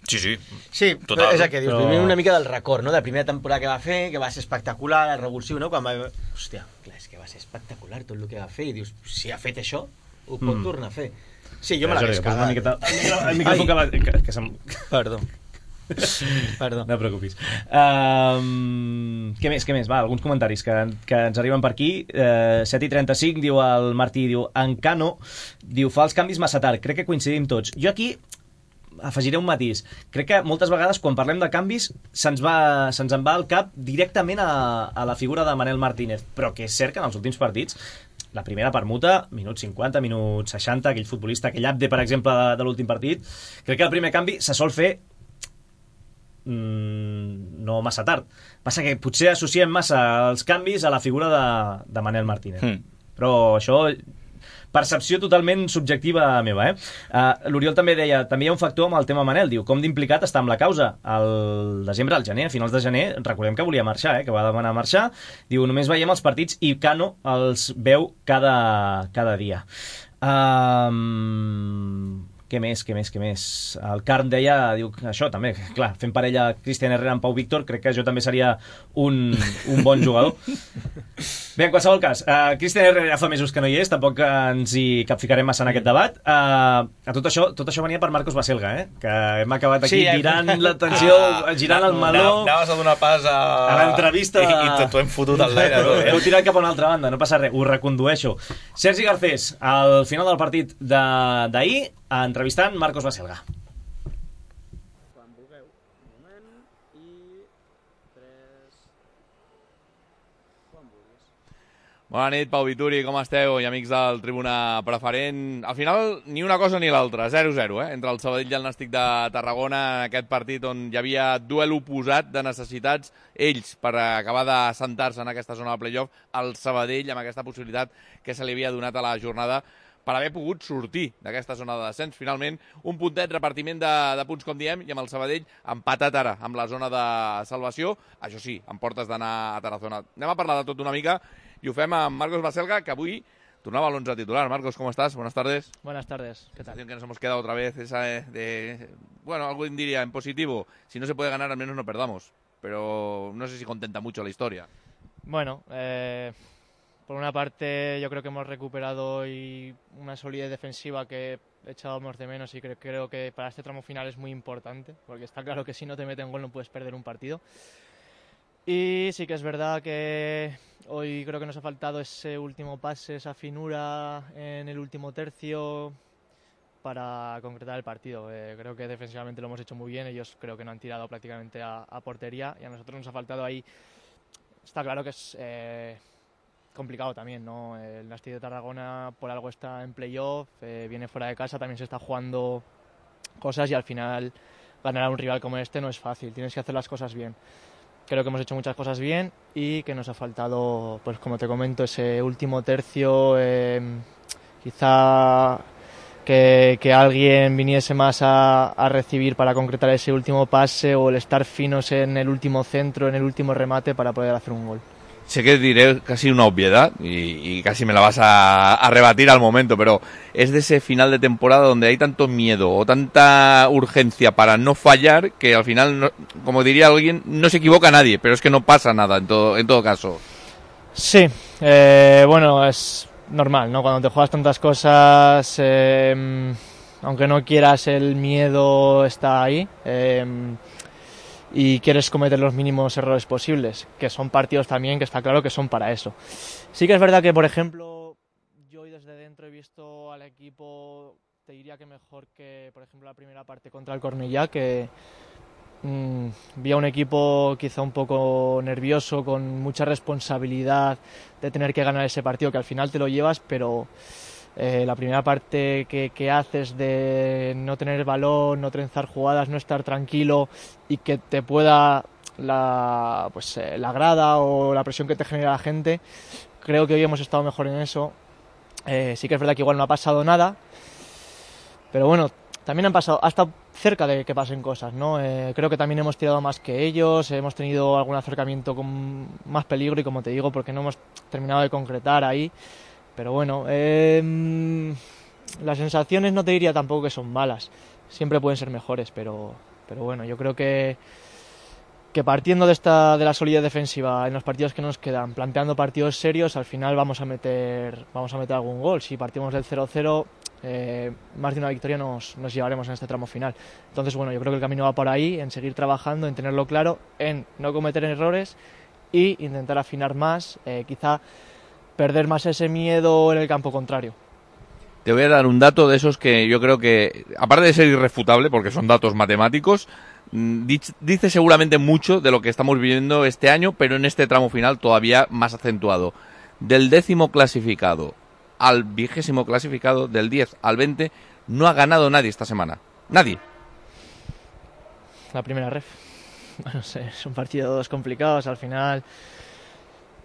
Sí, total. És el que dius, vivim una mica del record, no? De la primera temporada que va fer, que va ser espectacular, el revulsiu, no? Hòstia, clar, és que va ser espectacular tot el que va fer, i dius, si ha fet això, ho pot tornar a fer. Sí, jo me l'hagués quedat. El micròfon que se'm... Perdó. No et preocupis. Què més? Va, alguns comentaris que ens arriben per aquí. 7:35, diu el Martí, diu Encano, diu, fa els canvis massa tard. Crec que coincidim tots. Jo aquí afegiré un matís. Crec que moltes vegades quan parlem de canvis se'ns en va al cap directament a la figura de Manel Martínez, però que és cert que en els últims partits la primera permuta, minut 50, minut 60, aquell futbolista, aquell Abde, per exemple, de l'últim partit, crec que el primer canvi se sol fer no massa tard. Passa que potser associem massa els canvis a la figura de Manel Martínez. Però això, percepció totalment subjectiva meva, L'Oriol també deia, també hi ha un factor amb el tema Manel, diu, com d'implicat està amb la causa. Al desembre, al gener, a finals de gener, recordem que volia marxar, que va demanar marxar, diu, només veiem els partits i Cano els veu cada dia. Què més? El Carn deia, diu, això també, clar, fent parella Cristian Herrera amb Pau Víctor, crec que jo també seria un bon jugador. Bé, en qualsevol cas, Cristian Herrera ja fa mesos que no hi és, tampoc ens hi capficarem massa en aquest debat. Tot això venia per Marcos Baselga, que hem acabat aquí girant l'atenció, girant el meló. Anaves a donar pas a l'entrevista. I t'ho hem fotut al l'aire. Heu tirat cap a una altra banda, no passa res, ho recondueixo. Sergi Garcés, al final del partit d'ahir, entrevistant Marcos Baselga. Quan vulgueu, un moment, i 3... Quan vulguis. Bona nit, Pau Vituri, com esteu? I amics del Tribuna Preferent. Al final, ni una cosa ni l'altra, 0-0, entre el Sabadell i el Nàstic de Tarragona, en aquest partit on hi havia duel oposat de necessitats, ells per acabar de sentar-se en aquesta zona de playoff, el Sabadell amb aquesta possibilitat que se li havia donat a la jornada per haver pogut sortir d'aquesta zona de descens. Finalment, un puntet, repartiment de punts, com diem, i amb el Sabadell empatat ara amb la zona de salvació. Això sí, amb portes d'anar a Tarazona. Anem a parlar de tot una mica i ho fem amb Marcos Baselga, que avui tornava a l'11 titular. Marcos, ¿cómo estás? Buenas tardes. Buenas tardes, ¿qué tal? Que nos hemos quedado otra vez esa bueno, algo diría en positivo. Si no se puede ganar, al menos no perdamos. Pero no sé si contenta mucho la historia. Bueno, por una parte, yo creo que hemos recuperado hoy una solidez defensiva que echábamos de menos y creo que para este tramo final es muy importante, porque está claro que si no te meten gol no puedes perder un partido. Y sí que es verdad que hoy creo que nos ha faltado ese último pase, esa finura en el último tercio para concretar el partido. Creo que defensivamente lo hemos hecho muy bien, ellos creo que no han tirado prácticamente a portería y a nosotros nos ha faltado ahí. Está claro que es complicado también, ¿no? El Nàstic de Tarragona por algo está en playoff, viene fuera de casa, también se está jugando cosas y al final ganar a un rival como este no es fácil, tienes que hacer las cosas bien. Creo que hemos hecho muchas cosas bien y que nos ha faltado, pues como te comento, ese último tercio, quizá que alguien viniese más a recibir para concretar ese último pase o el estar finos en el último centro, en el último remate para poder hacer un gol. Sé que diré casi una obviedad y casi me la vas a rebatir al momento, pero es de ese final de temporada donde hay tanto miedo o tanta urgencia para no fallar que al final, no, como diría alguien, no se equivoca nadie, pero es que no pasa nada en todo caso. Sí, bueno, es normal, ¿no? Cuando te juegas tantas cosas, aunque no quieras, el miedo está ahí. Y quieres cometer los mínimos errores posibles, que son partidos también que está claro que son para eso. Sí que es verdad que, por ejemplo, yo hoy desde dentro he visto al equipo, te diría que mejor que, por ejemplo, la primera parte contra el Cornellà, que vi a un equipo quizá un poco nervioso, con mucha responsabilidad de tener que ganar ese partido, que al final te lo llevas, pero la primera parte que haces de no tener el balón, no trenzar jugadas, no estar tranquilo y que te pueda la grada o la presión que te genera la gente, creo que hoy hemos estado mejor en eso. Sí que es verdad que igual no ha pasado nada, pero bueno, también ha estado cerca de que pasen cosas, ¿no? Creo que también hemos tirado más que ellos, hemos tenido algún acercamiento con más peligro y, como te digo, porque no hemos terminado de concretar ahí. Pero bueno, las sensaciones no te diría tampoco que son malas, siempre pueden ser mejores, pero bueno, yo creo que partiendo de la solidez defensiva en los partidos que nos quedan, planteando partidos serios, al final vamos a meter algún gol. Si partimos del 0-0, más de una victoria nos llevaremos en este tramo final. Entonces, bueno, yo creo que el camino va por ahí, en seguir trabajando, en tenerlo claro, en no cometer errores y intentar afinar más, quizá perder más ese miedo en el campo contrario. Te voy a dar un dato de esos que yo creo que, aparte de ser irrefutable, porque son datos matemáticos, dice seguramente mucho de lo que estamos viviendo este año, pero en este tramo final todavía más acentuado. Del 10º clasificado al 20º clasificado, del 10 al 20, no ha ganado nadie esta semana. Nadie. La primera ref. No sé, son partidos complicados, al final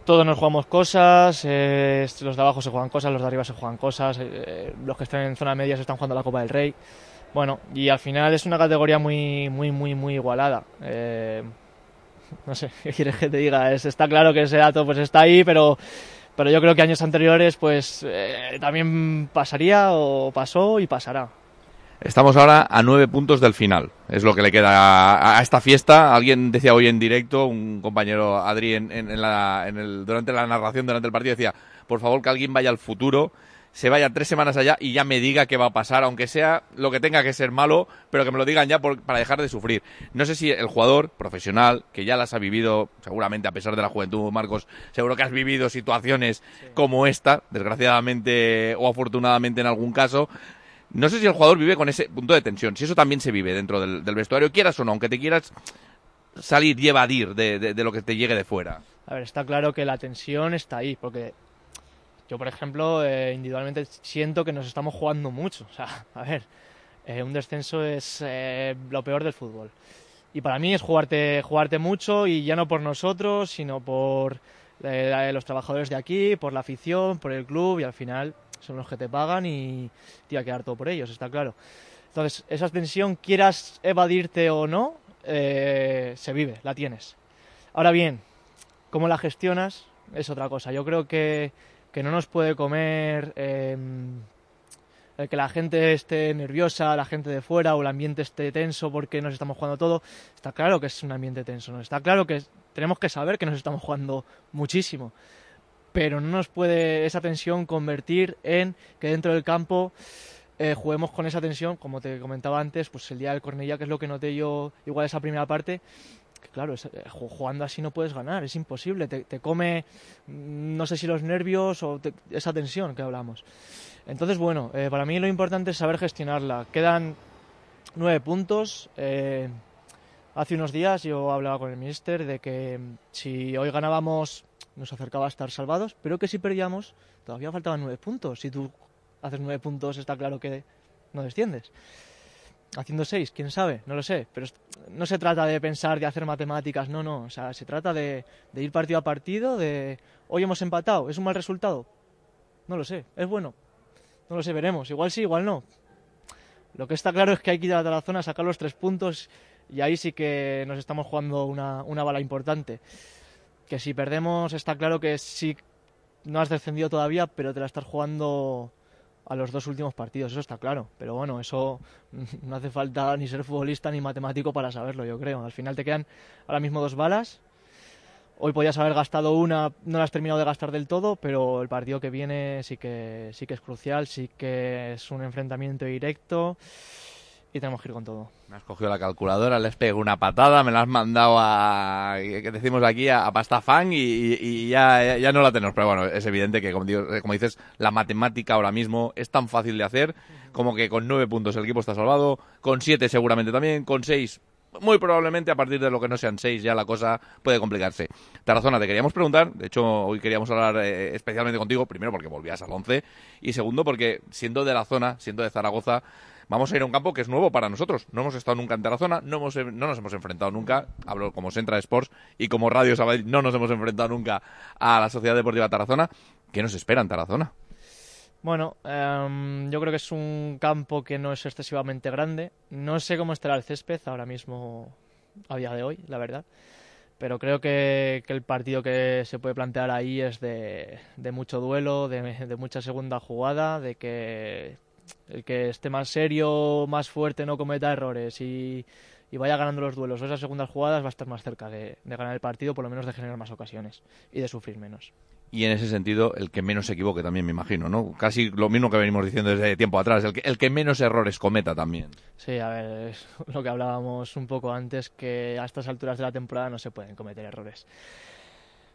todos nos jugamos cosas, los de abajo se juegan cosas, los de arriba se juegan cosas, los que están en zona media se están jugando la Copa del Rey. Bueno, y al final es una categoría muy igualada. No sé, ¿qué quieres que te diga? Está claro que ese dato pues está ahí, pero yo creo que años anteriores pues también pasaría o pasó y pasará. Estamos ahora a 9 puntos del final, es lo que le queda a esta fiesta. Alguien decía hoy en directo, un compañero Adri durante la narración, durante el partido, decía, por favor que alguien vaya al futuro, se vaya 3 semanas allá y ya me diga qué va a pasar, aunque sea lo que tenga que ser malo, pero que me lo digan ya para dejar de sufrir. No sé si el jugador profesional, que ya las ha vivido, seguramente a pesar de la juventud, Marcos, seguro que has vivido situaciones como esta, desgraciadamente o afortunadamente en algún caso. No sé si el jugador vive con ese punto de tensión, si eso también se vive dentro del vestuario, quieras o no, aunque te quieras salir y evadir de lo que te llegue de fuera. A ver, está claro que la tensión está ahí, porque yo, por ejemplo, individualmente siento que nos estamos jugando mucho. O sea, a ver, un descenso es lo peor del fútbol. Y para mí es jugarte mucho, y ya no por nosotros, sino por los trabajadores de aquí, por la afición, por el club, y al final son los que te pagan y tienes que dar todo por ellos, está claro. Entonces, esa tensión, quieras evadirte o no, se vive, la tienes. Ahora bien, cómo la gestionas es otra cosa. Yo creo que no nos puede comer el que la gente esté nerviosa, la gente de fuera, o el ambiente esté tenso porque nos estamos jugando todo. Está claro que es un ambiente tenso, ¿no? Está claro que tenemos que saber que nos estamos jugando muchísimo, pero no nos puede esa tensión convertir en que dentro del campo juguemos con esa tensión, como te comentaba antes, pues el día del Cornellà, que es lo que noté yo igual esa primera parte, que claro, jugando así no puedes ganar, es imposible, te come, no sé si los nervios o esa tensión que hablamos. Entonces, bueno, para mí lo importante es saber gestionarla. Quedan 9 puntos, Hace unos días yo hablaba con el míster de que si hoy ganábamos nos acercaba a estar salvados, pero que si perdíamos todavía faltaban 9 puntos. Si tú haces 9 puntos está claro que no desciendes. Haciendo 6, quién sabe, no lo sé, pero no se trata de pensar, de hacer matemáticas, no, o sea, se trata de ir partido a partido, de hoy hemos empatado, ¿es un mal resultado? No lo sé, ¿es bueno? No lo sé, veremos, igual sí, igual no. Lo que está claro es que hay que ir a la Tarazona a sacar los 3 puntos y ahí sí que nos estamos jugando una bala importante. Que si perdemos está claro que sí, no has descendido todavía, pero te la estás jugando a los 2 últimos partidos, eso está claro. Pero bueno, eso no hace falta ni ser futbolista ni matemático para saberlo, yo creo. Al final te quedan ahora mismo 2 balas. Hoy podías haber gastado una, no la has terminado de gastar del todo, pero el partido que viene sí que es crucial, sí que es un enfrentamiento directo y tenemos que ir con todo. Me has cogido la calculadora, les pego una patada, me la has mandado que decimos aquí, a pastafán y ya no la tenemos. Pero bueno, es evidente que, como dices, la matemática ahora mismo es tan fácil de hacer como que con 9 puntos el equipo está salvado, con 7 seguramente también, con 6 muy probablemente. A partir de lo que no sean 6 ya la cosa puede complicarse. Tarazona, te queríamos preguntar, de hecho hoy queríamos hablar especialmente contigo, primero porque volvías al 11 y segundo porque siendo de la zona, siendo de Zaragoza, vamos a ir a un campo que es nuevo para nosotros. No hemos estado nunca en Tarazona, no nos hemos enfrentado nunca, hablo como Centra Sports y como Radio Sabadell, no nos hemos enfrentado nunca a la Sociedad Deportiva Tarazona. ¿Qué nos espera en Tarazona? Bueno, yo creo que es un campo que no es excesivamente grande. No sé cómo estará el césped ahora mismo, a día de hoy, la verdad. Pero creo que el partido que se puede plantear ahí es de mucho duelo, de mucha segunda jugada, de que el que esté más serio, más fuerte, no cometa errores y vaya ganando los duelos o esas segundas jugadas va a estar más cerca de ganar el partido, por lo menos de generar más ocasiones y de sufrir menos. Y en ese sentido, el que menos se equivoque también, me imagino, ¿no? Casi lo mismo que venimos diciendo desde tiempo atrás, el que menos errores cometa también. Sí, a ver, es lo que hablábamos un poco antes, que a estas alturas de la temporada no se pueden cometer errores.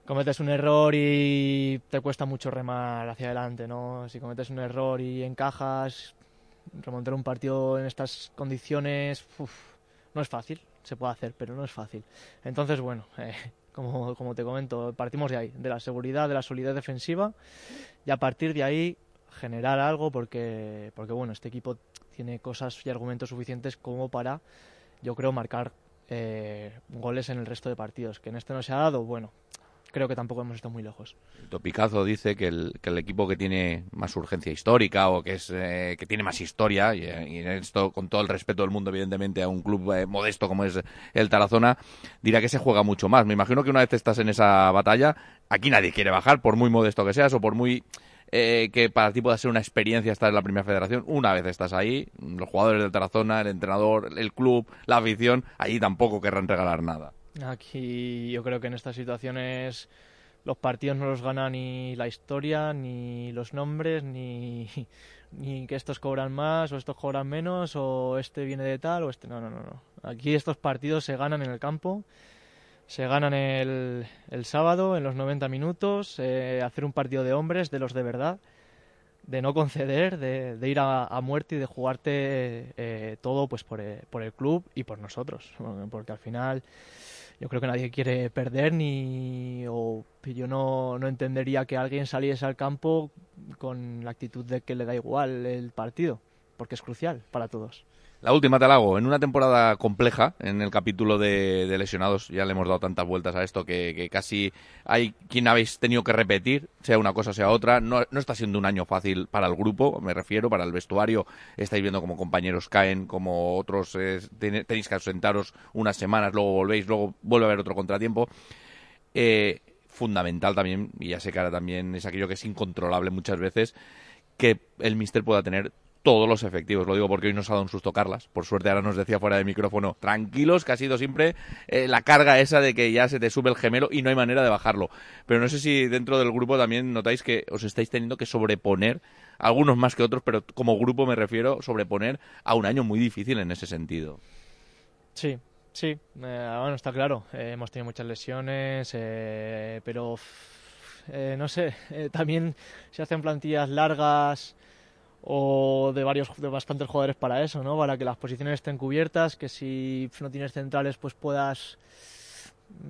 Cometes un error y te cuesta mucho remar hacia adelante, ¿no? Si cometes un error y encajas, remontar un partido en estas condiciones, no es fácil, se puede hacer, pero no es fácil. Entonces, bueno, como te comento, partimos de ahí, de la seguridad, de la solidez defensiva, y a partir de ahí generar algo, porque bueno, este equipo tiene cosas y argumentos suficientes como para, yo creo, marcar goles en el resto de partidos. Que en este no se ha dado, bueno, creo que tampoco hemos estado muy lejos. Topicazo dice que el equipo que tiene más urgencia histórica o que es que tiene más historia, y en esto con todo el respeto del mundo evidentemente a un club modesto como es el Tarazona, dirá que se juega mucho más. Me imagino que una vez estás en esa batalla, aquí nadie quiere bajar, por muy modesto que seas o por muy que para ti pueda ser una experiencia estar en la primera federación. Una vez estás ahí, los jugadores del Tarazona, el entrenador, el club, la afición, ahí tampoco querrán regalar nada. Aquí yo creo que en estas situaciones los partidos no los gana ni la historia, ni los nombres, ni que estos cobran más o estos cobran menos o este viene de tal o este... No. Aquí estos partidos se ganan en el campo, se ganan el sábado en los 90 minutos, hacer un partido de hombres, de los de verdad, de no conceder, de ir a muerte y de jugarte todo pues por el club y por nosotros, porque al final yo creo que nadie quiere perder o yo no entendería que alguien saliese al campo con la actitud de que le da igual el partido, porque es crucial para todos. La última te la hago. En una temporada compleja, en el capítulo de lesionados, ya le hemos dado tantas vueltas a esto que casi hay quien habéis tenido que repetir, sea una cosa, sea otra. No está siendo un año fácil para el grupo, me refiero, para el vestuario. Estáis viendo como compañeros caen, como otros tenéis que ausentaros unas semanas, luego volvéis, luego vuelve a haber otro contratiempo. Fundamental también, y ya sé que ahora también es aquello que es incontrolable muchas veces, que el míster pueda tener todos los efectivos. Lo digo porque hoy nos ha dado un susto Carlas. Por suerte ahora nos decía fuera de micrófono, tranquilos, que ha sido siempre la carga esa de que ya se te sube el gemelo y no hay manera de bajarlo. Pero no sé si dentro del grupo también notáis que os estáis teniendo que sobreponer, algunos más que otros, pero como grupo me refiero, sobreponer a un año muy difícil en ese sentido. Sí. Bueno, está claro. Hemos tenido muchas lesiones, pero no sé. También se hacen plantillas largas o de bastantes jugadores para eso, ¿no? Para que las posiciones estén cubiertas, que si no tienes centrales pues puedas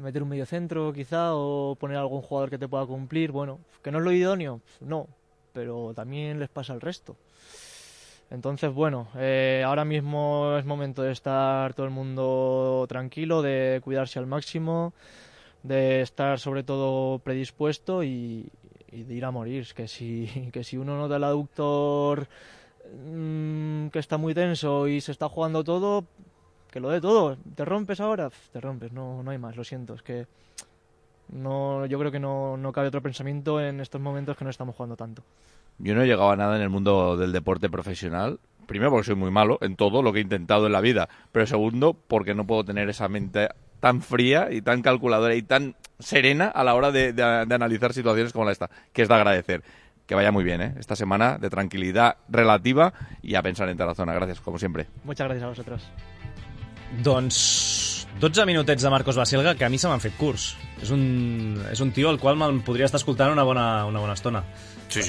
meter un mediocentro quizá o poner algún jugador que te pueda cumplir. Bueno, que no es lo idóneo, no, pero también les pasa al resto. Entonces, bueno, ahora mismo es momento de estar todo el mundo tranquilo, de cuidarse al máximo, de estar sobre todo predispuesto y de ir a morir. Que si uno nota el aductor que está muy tenso y se está jugando todo, que lo dé todo. ¿Te rompes ahora? Te rompes, no hay más, lo siento. Es que yo creo que no cabe otro pensamiento en estos momentos que no estamos jugando tanto. Yo no he llegado a nada en el mundo del deporte profesional. Primero porque soy muy malo en todo lo que he intentado en la vida, pero segundo porque no puedo tener esa mente tan fría y tan calculadora y tan serena a la hora de analizar situaciones como esta, que es de agradecer. Que vaya muy bien, esta semana de tranquilidad relativa y a pensar en Tarazona. Gracias, como siempre. Muchas gracias a vosotros. Doncs 12 minutets de Marcos Baselga que a mi se m'han fet curts. És un tio al qual me'n podria estar escoltant una bona estona. Sí.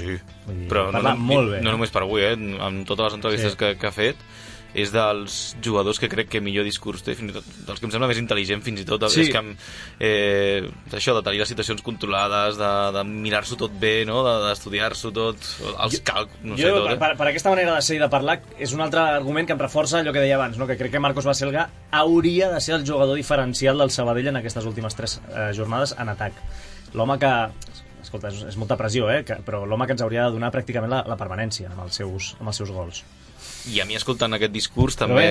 Vull dir, però molt bé. No només per avui, amb totes les entrevistes que ha fet, és dels jugadors que crec que millor discurs té, fins i tot dels que em sembla més intel·ligent fins i tot, sí. És que això de tenir les situacions controlades, de mirar-s'ho tot bé, no? D'estudiar-s'ho tot, els càlculs, no sé tot. Per aquesta manera de ser i de parlar és un altre argument que em reforça allò que deia abans, no? Que crec que Marcos Baselga hauria de ser el jugador diferencial del Sabadell en aquestes últimes 3 jornades en atac. L'home que... Escolta, és molta pressió, però l'home que ens hauria de donar pràcticament la permanència amb els seus gols. I a mi, escoltant aquest discurs, també...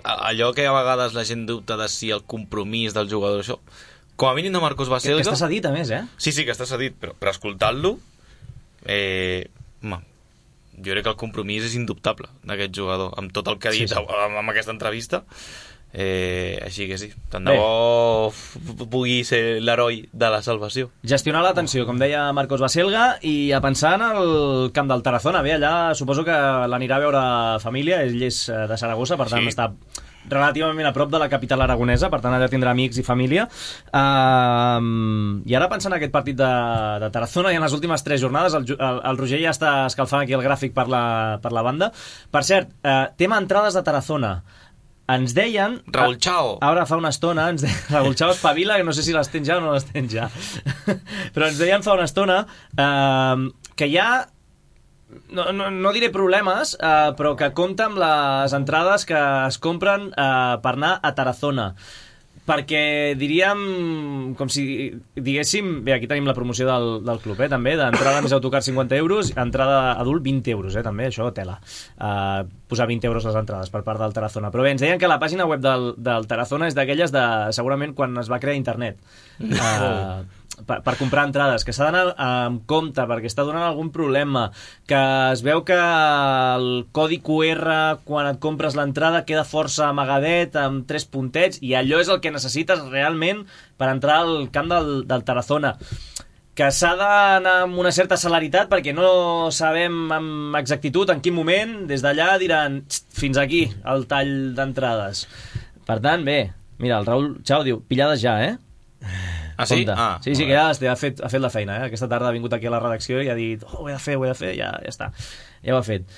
Allò que a vegades la gent dubta de si el compromís del jugador, això... Com a mínim de Marcos Baselga... Que està cedit, a més, Sí, que està cedit, però escoltant-lo... jo crec que el compromís és indubtable d'aquest jugador, amb tot el que ha dit amb aquesta entrevista... així que sí, tant de bo pugui ser l'heroi de la salvació. Gestionar la tensió, com deia Marcos Baselga, i a pensar en el camp del Tarazona. Bé, allà suposo que l'anirà a veure família, ell és de Saragossa, per tant està relativament a prop de la capital aragonesa, per tant allà tindrà amics i família. I ara pensant en aquest partit de Tarazona i en les últimes 3 jornades, el Roger ja està escalfant aquí el gràfic per la banda. Per cert, tema entrades de Tarazona. Ens deien... Raúl Chao. Ara fa una estona, Raúl Chao espavila, que no sé si les tens ja o no les tens ja. Però ens deien fa una estona que hi ha... No diré problemes, però que compta amb les entrades que es compren per anar a Tarazona. Perquè diríem, com si diguéssim... Bé, aquí tenim la promoció del club, també, d'entrada més autocar 50 euros, entrada adult 20 euros, també, això tela. Posar 20 euros les entrades per part del Tarazona. Però bé, ens deien que la pàgina web del Tarazona és d'aquelles de, segurament, quan es va crear internet. Per comprar entrades, que s'ha d'anar amb compte perquè està donant algun problema, que es veu que el codi QR quan et compres l'entrada queda força amagadet amb 3 puntets i allò és el que necessites realment per entrar al camp del Tarazona, que s'ha d'anar amb una certa celeritat perquè no sabem amb exactitud en quin moment des d'allà diran fins aquí el tall d'entrades. Per tant, bé, mira, el Raúl Chao diu pillades ja, Ah, sí? Sí, que ja ha fet la feina, Aquesta tarda ha vingut aquí a la redacció i ha dit ho he de fer, ja està. Ja ho ha fet.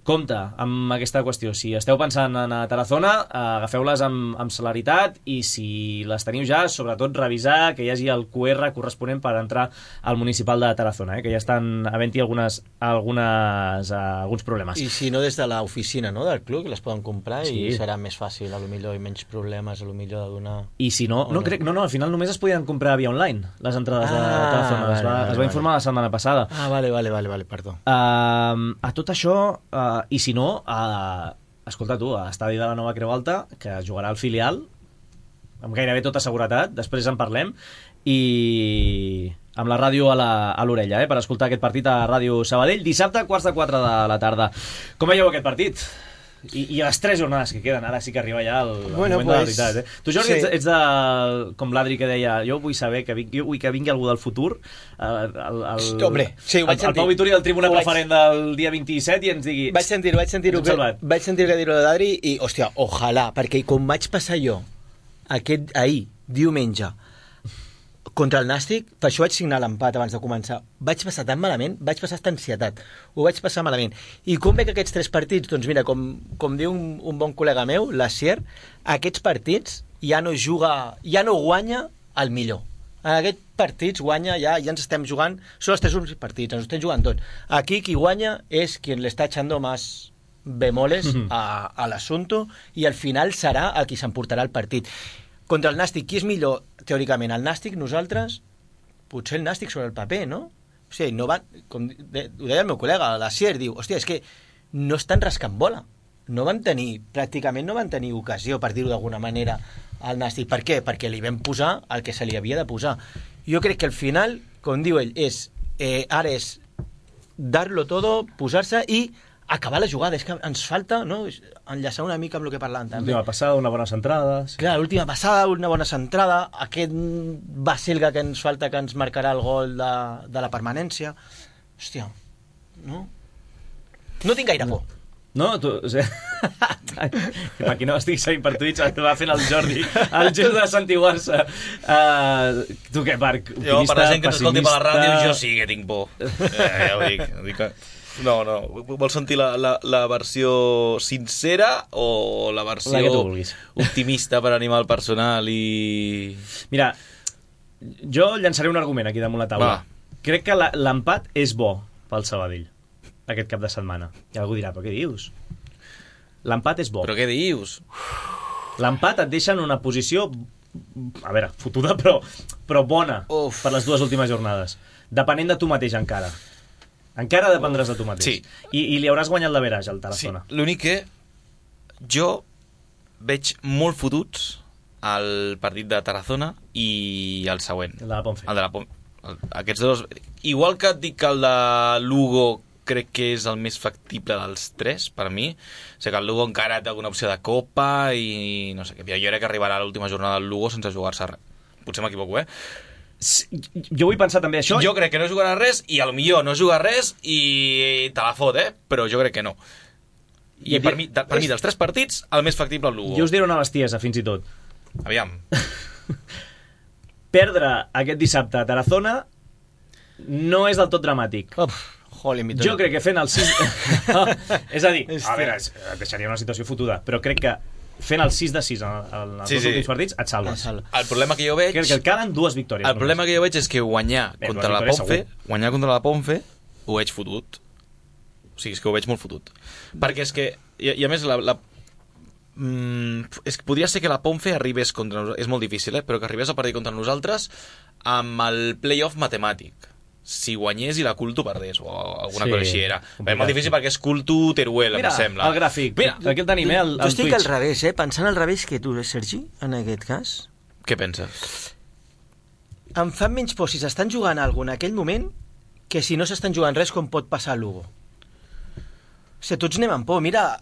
Compte amb aquesta qüestió. Si esteu pensant en Tarazona, agafeu-les amb celeritat i si les teniu ja, sobretot revisar que hi hagi el QR corresponent per entrar al municipal de Tarazona, que ja estan havent-hi alguns problemes. I si no des de l'oficina, no, del club, que les poden comprar i serà més fàcil, a lo millor, i menys problemes, a lo millor de donar... I si no, al final només es podien comprar via online, les entrades de Tarazona. Es va informar la setmana passada. Vale, perdó. A tot això... I si no, escolta tu, a l'estadi de la Nova Creu Alta, que jugarà al filial, amb gairebé tota seguretat, després en parlem, i amb la ràdio a l'orella, per escoltar aquest partit a Ràdio Sabadell, dissabte, 3:45 de la tarda. Com veieu aquest partit? I les 3 jornades que queden, ara sí que arriba ja el moment de la veritat. Tu, Jordi, ets com l'Adri que deia jo vull saber que vingui algú del futur, Hombre, sí, ho vaig sentir. El Pau Vituri del Tribuna Preferent del dia 27 i ens digui... Vaig sentir que dir-ho d'Adri i, hòstia, ojalà, perquè com vaig passar jo ahir, diumenge, contra el Nàstic, per això vaig signar l'empat abans de començar. Vaig passar tan malament, vaig passar aquesta ansietat. Ho vaig passar malament. I com veig aquests 3 partits? Doncs mira, com diu un bon col·lega meu, l'Asier, aquests partits ja no guanya el millor. En aquests partits guanya, ja ens estem jugant, són els 3 últims partits, ens estem jugant tot. Aquí qui guanya és qui le està echando más bemoles a l'assumpte i al final serà el qui s'emportarà el partit. Contra el Nàstic, qui és millor, teòricament? El Nàstic, nosaltres? Potser el Nàstic sobre el paper, no? O sigui, no van, ho deia el meu col·lega, l'Asier, diu, hòstia, és que no estan rascant bola. Pràcticament no van tenir ocasió, per dir-ho d'alguna manera, al Nàstic. Per què? Perquè li vam posar el que se li havia de posar. Jo crec que al final, com diu ell, ara és dar-lo todo, posar-se i acabar la jugada. És que ens falta, no?, enllaçar una mica amb el que parlàvem també. L'última passada, una bona centrada. Sí. Clar, l'última passada, una bona centrada, aquest Baselga que ens falta, que ens marcarà el gol de la permanència. Hòstia, no? No tinc gaire por. No, tu... O sigui, per qui no estigui seguint per Twitch, va fent el Jordi, el gest de santiguar-se. Tu què, Marc? Jo, per la gent que t'escolti per la ràdio, jo sí que tinc por. Ja ho dic que... No. Vols sentir la versió sincera o la versió optimista per animar el personal i... Mira, jo llançaré un argument aquí damunt la taula. Crec que l'empat és bo pel Sabadell aquest cap de setmana. I algú dirà, però què dius? L'empat és bo. Però què dius? L'empat et deixa en una posició, a veure, fotuda, però bona per les 2 últimes jornades. Depenent de tu mateix encara. Encara dependràs de tu mateix. Sí. I li hauràs guanyat l'average al Tarazona. Sí. L'únic que jo veig molt fotuts el partit de Tarazona i el següent. El de la Ponfe. Aquests dos... Igual que et dic que el de Lugo crec que és el més factible dels 3, per mi. O sigui que el Lugo encara té alguna opció de Copa i no sé què. Jo crec que arribarà a l'última jornada del Lugo sense jugar-se res. Potser m'equivoco, Jo vull pensar també això. Jo crec que no jugarà res i a lo millor no jugar res i te la fot, però jo crec que no. I per mi dels 3 partits, el més factible el Lugo. Jo us diré una bestiesa, fins i tot. Aviam. Perdre aquest dissabte a Tarazona no és del tot dramàtic. Jo crec que fent el 6... És a dir, a veure, deixaria una situació fotuda, però crec que fent el 6 de 6 en els últims partits et salves. El problema que jo veig... Crec que et calen 2 victòries. El problema que jo veig és que guanyar contra la Ponfe ho veig fotut. O sigui, és que ho veig molt fotut. Perquè és que, i a més, és que podria ser que la Ponfe arribés contra nosaltres, és molt difícil, però que arribés a partir contra nosaltres amb el playoff matemàtic. Si guanyés i la Culto perdés o alguna cosa així era. És molt difícil perquè és Culto Teruel, em sembla. Mira, el gràfic. Mira, aquí el tenim, el Twitch. Jo estic al revés, pensant al revés que tu, Sergi, en aquest cas. Què penses? Em fan menys por si s'estan jugant alguna en aquell moment que si no s'estan jugant res com pot passar a Lugo. O sigui, tots anem amb por, mira...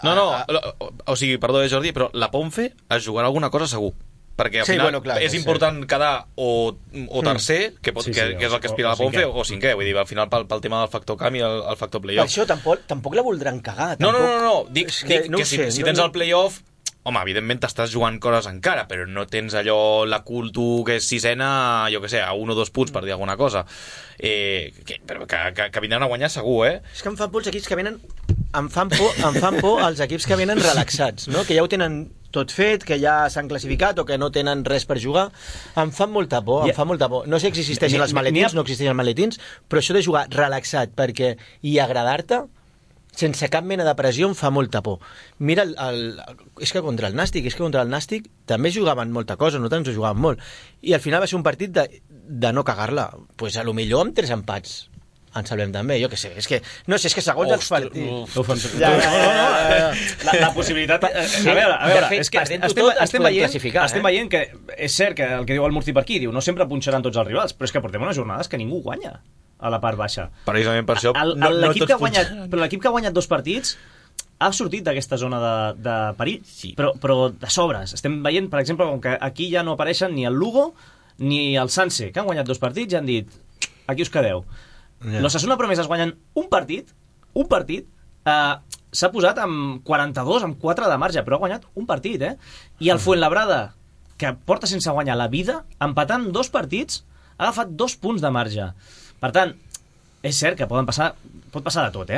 o sigui, perdó, Jordi, però la Ponfe es jugarà alguna cosa segur. Perquè al final clar, és important quedar o tercer, que és el que aspira la Ponfe, o cinquè. Vull dir, al final pel tema del factor camp i el factor playoff. Per això tampoc la voldran cagar. No. Dic que si tens el playoff, home, evidentment t'estàs jugant coses encara, però no tens allò la Culto que és 6ena, jo que sé, a 1 o 2 punts, per dir alguna cosa. Però que vindran a guanyar segur, És que em fan por els equips que venen... Em fan por els equips que venen relaxats, no? Que ja ho tenen tot fet, que ja s'han classificat o que no tenen res per jugar. Em fan molta por. No sé si existeixen els maletins, no existeixen els maletins, però això de jugar relaxat i agradar-te sense cap mena de pressió em fa molta por. Mira, és que contra el Nàstic també jugaven molta cosa, nosaltres ens jugaven molt. I al final va ser un partit de no cagar-la. Pues a lo millor amb 3 empats ens salvem també, jo què sé, és que segons els partits... La possibilitat... A veure, és que estem veient que és cert que el que diu el Murci per aquí, diu, no sempre punxaran tots els rivals, però és que portem unes jornades que ningú guanya a la part baixa. Precisament per això... L'equip que ha guanyat 2 partits ha sortit d'aquesta zona de perill, però de sobres. Estem veient, per exemple, com que aquí ja no apareixen ni el Lugo ni el Sanse, que han guanyat 2 partits i han dit, aquí us quedeu. L'Osasuna Promeses guanyen un partit, s'ha posat amb 42, amb 4 de marge, però ha guanyat un partit, I el Fuenlabrada, que porta sense guanyar la vida, empatant 2 partits, ha agafat 2 punts de marge. Per tant, és cert que pot passar de tot,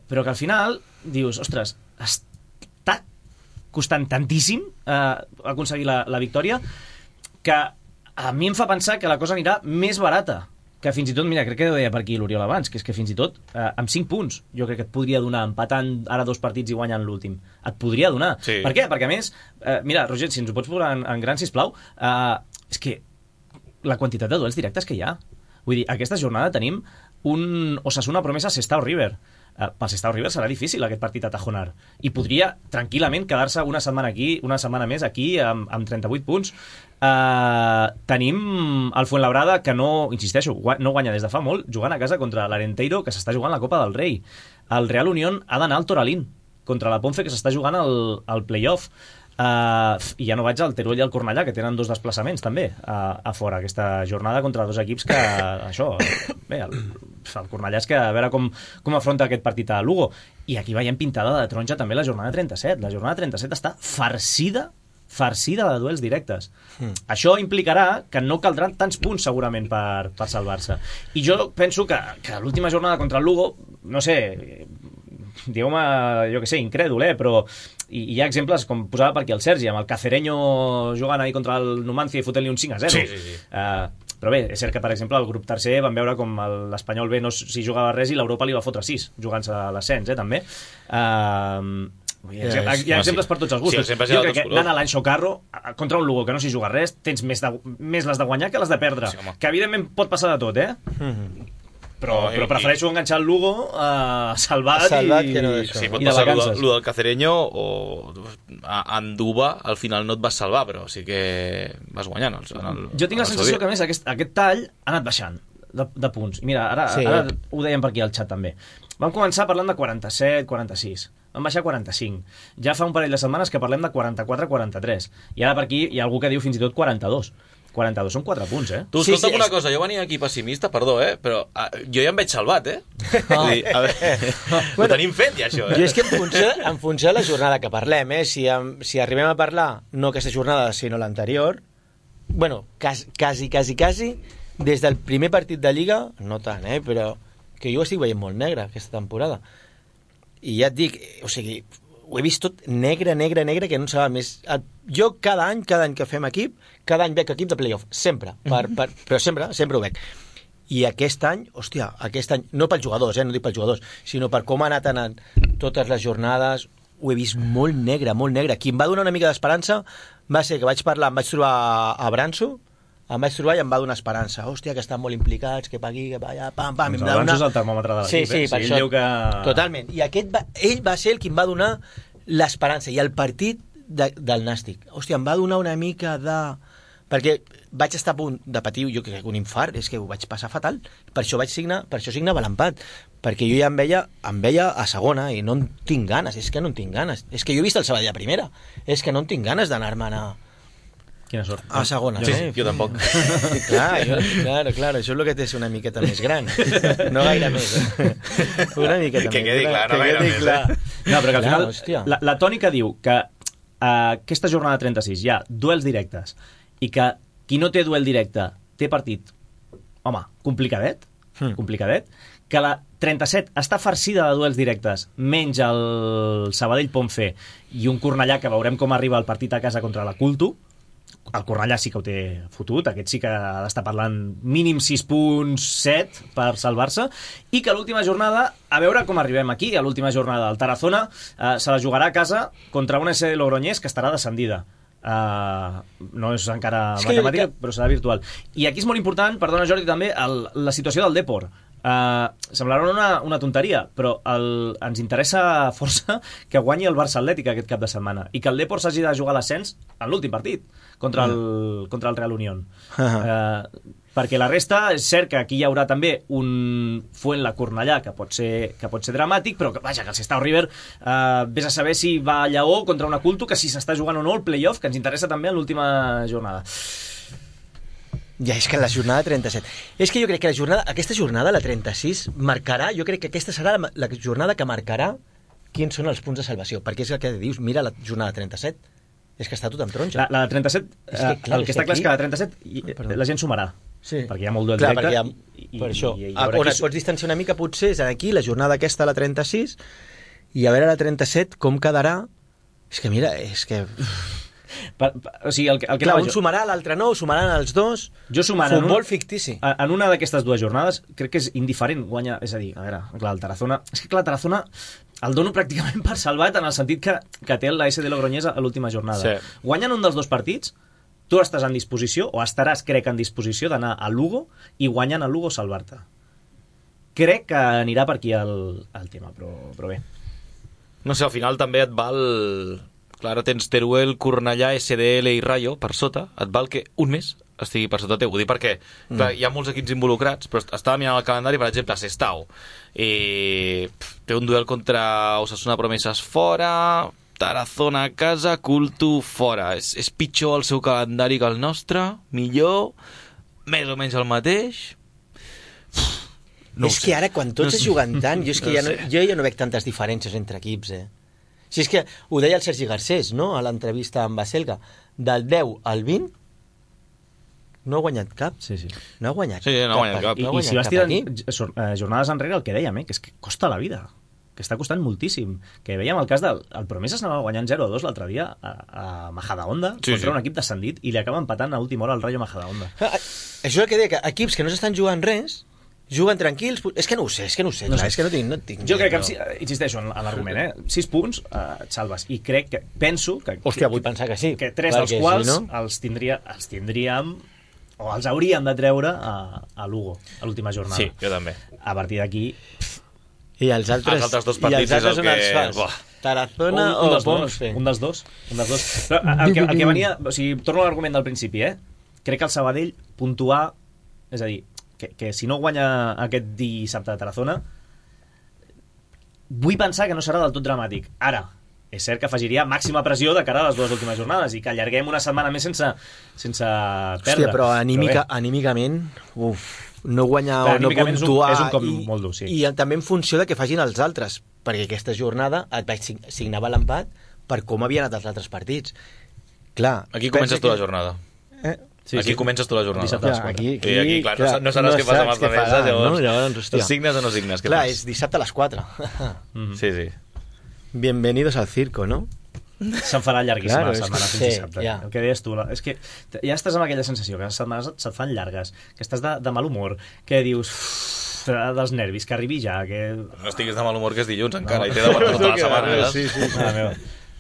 però que al final dius, ostres, està costant tantíssim aconseguir la victòria que a mi em fa pensar que la cosa anirà més barata, que fins i tot, mira, crec que ho deia per aquí l'Oriol abans, que és que fins i tot amb 5 punts jo crec que et podria donar, empatant ara 2 partits i guanyant l'últim, et podria donar. Sí. Per què? Perquè a més, mira, Roger, si ens ho pots posar en gran, sisplau, és que la quantitat de duels directes que hi ha. Vull dir, aquesta jornada tenim un Osasuna Promesa Sestao River. Pel Sestao River serà difícil aquest partit a Tajonar i podria tranquil·lament quedar-se una setmana més aquí amb 38 punts. Tenim el Fuenlabrada que no, insisteixo, no guanya des de fa molt, jugant a casa contra l'Arenteiro, que s'està jugant la Copa del Rei. El Real Unión ha d'anar al Toralín contra la Ponfe, que s'està jugant el playoff. I ja no vaig al Teruel i al Cornellà, que tenen 2 desplaçaments també a fora aquesta jornada contra 2 equips que això, bé, el Cornellà és que a veure com afronta aquest partit a Lugo. I aquí veiem pintada de taronja també la jornada 37. La jornada 37 està farcida de duels directes. Això implicarà que no caldran tants punts segurament per salvar-se. I jo penso que l'última jornada contra el Lugo, no sé, digueu-me, jo que sé, incrèdul, però hi ha exemples, com posava per aquí el Sergi, amb el Cacereño jugant ahí contra el Numancia i fotent-li un 5-0. Sí. Però bé, és cert que, per exemple, el grup tercer van veure com l'Espanyol B no s'hi jugava res i l'Europa li va fotre 6, jugant-se a l'ascens, també. Hi ha exemples per tots els gustos. Sí, jo crec que anant a l'any Socarro contra un Lugo que no s'hi juga res, tens més les de guanyar que les de perdre, que evidentment pot passar de tot, però prefereixo enganxar el Lugo salvat que no d'això. Sí, pot passar el del Cacereño o a Anduba al final no et vas salvar, però sí que vas guanyant. Jo tinc la sensació que a més aquest tall ha anat baixant de punts. I mira, ara ho dèiem per aquí al xat també. Vam començar parlant de 47, 46. Vam baixar a 45. Ja fa un parell de setmanes que parlem de 44, 43. I ara per aquí hi ha algú que diu fins i tot 42. 42 són 4 punts, Tu, escolta'm una cosa, jo venia aquí pessimista, perdó, però jo ja em veig salvat, Vull dir, a veure, ho tenim fet ja, això, Jo és que en funció de la jornada que parlem, si arribem a parlar, no aquesta jornada, sinó l'anterior, bueno, quasi, des del primer partit de Lliga, no tant, però que jo ho estic veient molt negre, aquesta temporada. I ja et dic, o sigui, ho he vist tot negre, que no sabia més. Jo cada any que fem equip, cada any veig equip de playoff, sempre, però sempre ho veig. I aquest any, no pels jugadors, no dic pels jugadors, sinó per com ha anat anant totes les jornades, ho he vist molt negre. Qui em va donar una mica d'esperança va ser que em vaig trobar a Branso, em vaig trobar i em va donar esperança. Hòstia, que estan molt implicats, que pa aquí, que pa allà, pam. Doncs el Branso és el termòmetre de l'equip. Sí, per això. Totalment. I ell va ser el qui em va donar l'esperança. I el partit del Nàstic. Hòstia, em va donar una mica de... Perquè vaig estar a punt de patir, jo crec que un infart, és que ho vaig passar fatal. Per això signava l'empat. Perquè jo ja em veia a segona i no en tinc ganes. És que no en tinc ganes. És que jo he vist el Sabadell a primera. És que no en tinc ganes d'anar-me'n Quina sort. A segona. Sí, jo tampoc. Claro, això és el que té una miqueta més gran. No gaire més. Una miqueta que més quedi clar, no gaire més. No, però que al final la tònica diu que aquesta jornada 36 hi ha duels directes i que qui no té duel directe té partit, home, complicadet, que la 37 està farcida de duels directes, menys el Sabadell-Ponfe i un Cornellà que veurem com arriba el partit a casa contra la Culto. El Cornellà sí que ho té fotut, aquest sí que ha d'estar parlant mínim 6.7 per salvar-se, i que l'última jornada, a veure com arribem aquí, a l'última jornada el Tarazona se la jugarà a casa contra una SD Logroñés que estarà descendida. No és encara matemàtica, però serà virtual. I aquí és molt important, perdona Jordi, també la situació del Depor. Semblarà una tonteria, però ens interessa força que guanyi el Barça Atlètic aquest cap de setmana i que el Depor s'hagi de jugar l'ascens en l'últim partit contra el Real Unión. Perquè la resta, és cert que aquí hi haurà també un Fuenla-Cornellà que pot ser dramàtic, però vaja, que el Sestao River vés a saber si va a Lleó contra una Culto, que si s'està jugant o no el playoff, que ens interessa també en l'última jornada. Ja, és que la jornada 37... És que jo crec que aquesta jornada, la 36, marcarà... Jo crec que aquesta serà la jornada que marcarà quins són els punts de salvació. Perquè és el que dius, mira la jornada 37, És que està tot amb taronja. La de 37, clar, el que està clar és que la 37 la gent sumarà. Sí. Perquè hi ha molt duel Clar, directe. per això. I On et pots distanciar una mica potser és aquí, la jornada aquesta, la 36, i a veure la 37 com quedarà. És que mira, és que... O sigui, el que clar, un sumarà, l'altre no, sumaran els dos. Jo sumant futbol fictici. En una d'aquestes dues jornades crec que és indiferent guanya, és a dir, a veure, clar, el Tarazona, és que clar, el Tarazona el dono pràcticament per salvat en el sentit que té la SD Logroñés a l'última jornada. Sí. Guanyen un dels dos partits, tu estàs en disposició, o estaràs, crec, en disposició d'anar a Lugo i guanyant a Lugo salvar-te. Crec que anirà per aquí el tema, però bé. No sé, al final també et val... Clar, tens Teruel, Cornellà, SDL i Rayo per sota, et val que un més estigui per sota teu. Ho dic perquè clar, hi ha molts equips involucrats, però estava mirant el calendari, per exemple, Sestao. Té un duel contra Osasuna Promesas fora, Tarazona a casa, Cultu fora. És pitjor el seu calendari que el nostre, millor, més o menys el mateix... No és que ara, quan tots es juguen tant, jo ja no veig tantes diferències entre equips, Si és que ho deia el Sergi Garcés, no?, a l'entrevista amb Baselga, del 10 al 20 no ha guanyat cap. Sí. No No ha guanyat cap. I si vas tirant jornades enrere, el que dèiem, que és que costa la vida, que està costant moltíssim. Que veiem el cas del Promesas anava guanyant 0-2 l'altre dia a Majadahonda contra un equip descendit i li acaba empatant a última hora al Rayo Majadahonda. Això és el que deia, que equips que no s'estan jugant res juguen tranquils, és que no ho sé, clar, és que no tinc jo crec que, insisteixo en l'argument, 6 punts et salves, i penso que... Hòstia, vull pensar que sí. Que 3 dels quals els tindríem o els hauríem de treure a Lugo, a l'última jornada. Sí, jo també. A partir d'aquí... I els altres dos partits és el que... Tarazona o Ponce. Un dels dos. Però el que venia... O sigui, torno a l'argument del principi, crec que el Sabadell puntuar, és a dir, que si no guanya aquest dissabte de Tarazona, vull pensar que no serà del tot dramàtic. Ara, és cert que afegiria màxima pressió de cara a les dues últimes jornades i que allarguem una setmana més sense perdre. Hòstia, però anímicament, no guanyar o no puntuar és un cop molt dur, sí. I també en funció de què facin els altres, perquè aquesta jornada et vaig signava l'empat per com havien anat els altres partits. Clar, aquí comences tu la jornada. Sí, aquí comences tu la jornada. Dissabte a les 4. Aquí, clar, no sabràs què passa amb els altres, llavors signes o no signes? Clar, és dissabte a les 4. Sí. Bienvenidos al circo, no? Se'n farà llarguíssima la setmana fins dissabte. Ja. El que deies tu, és que ja estàs amb aquella sensació que les setmanes se't fan llargues, que estàs de mal humor, que dius dels nervis, que arribi ja, que... No estiguis de mal humor, que és dilluns encara, i t'he de tota la setmana. Sí.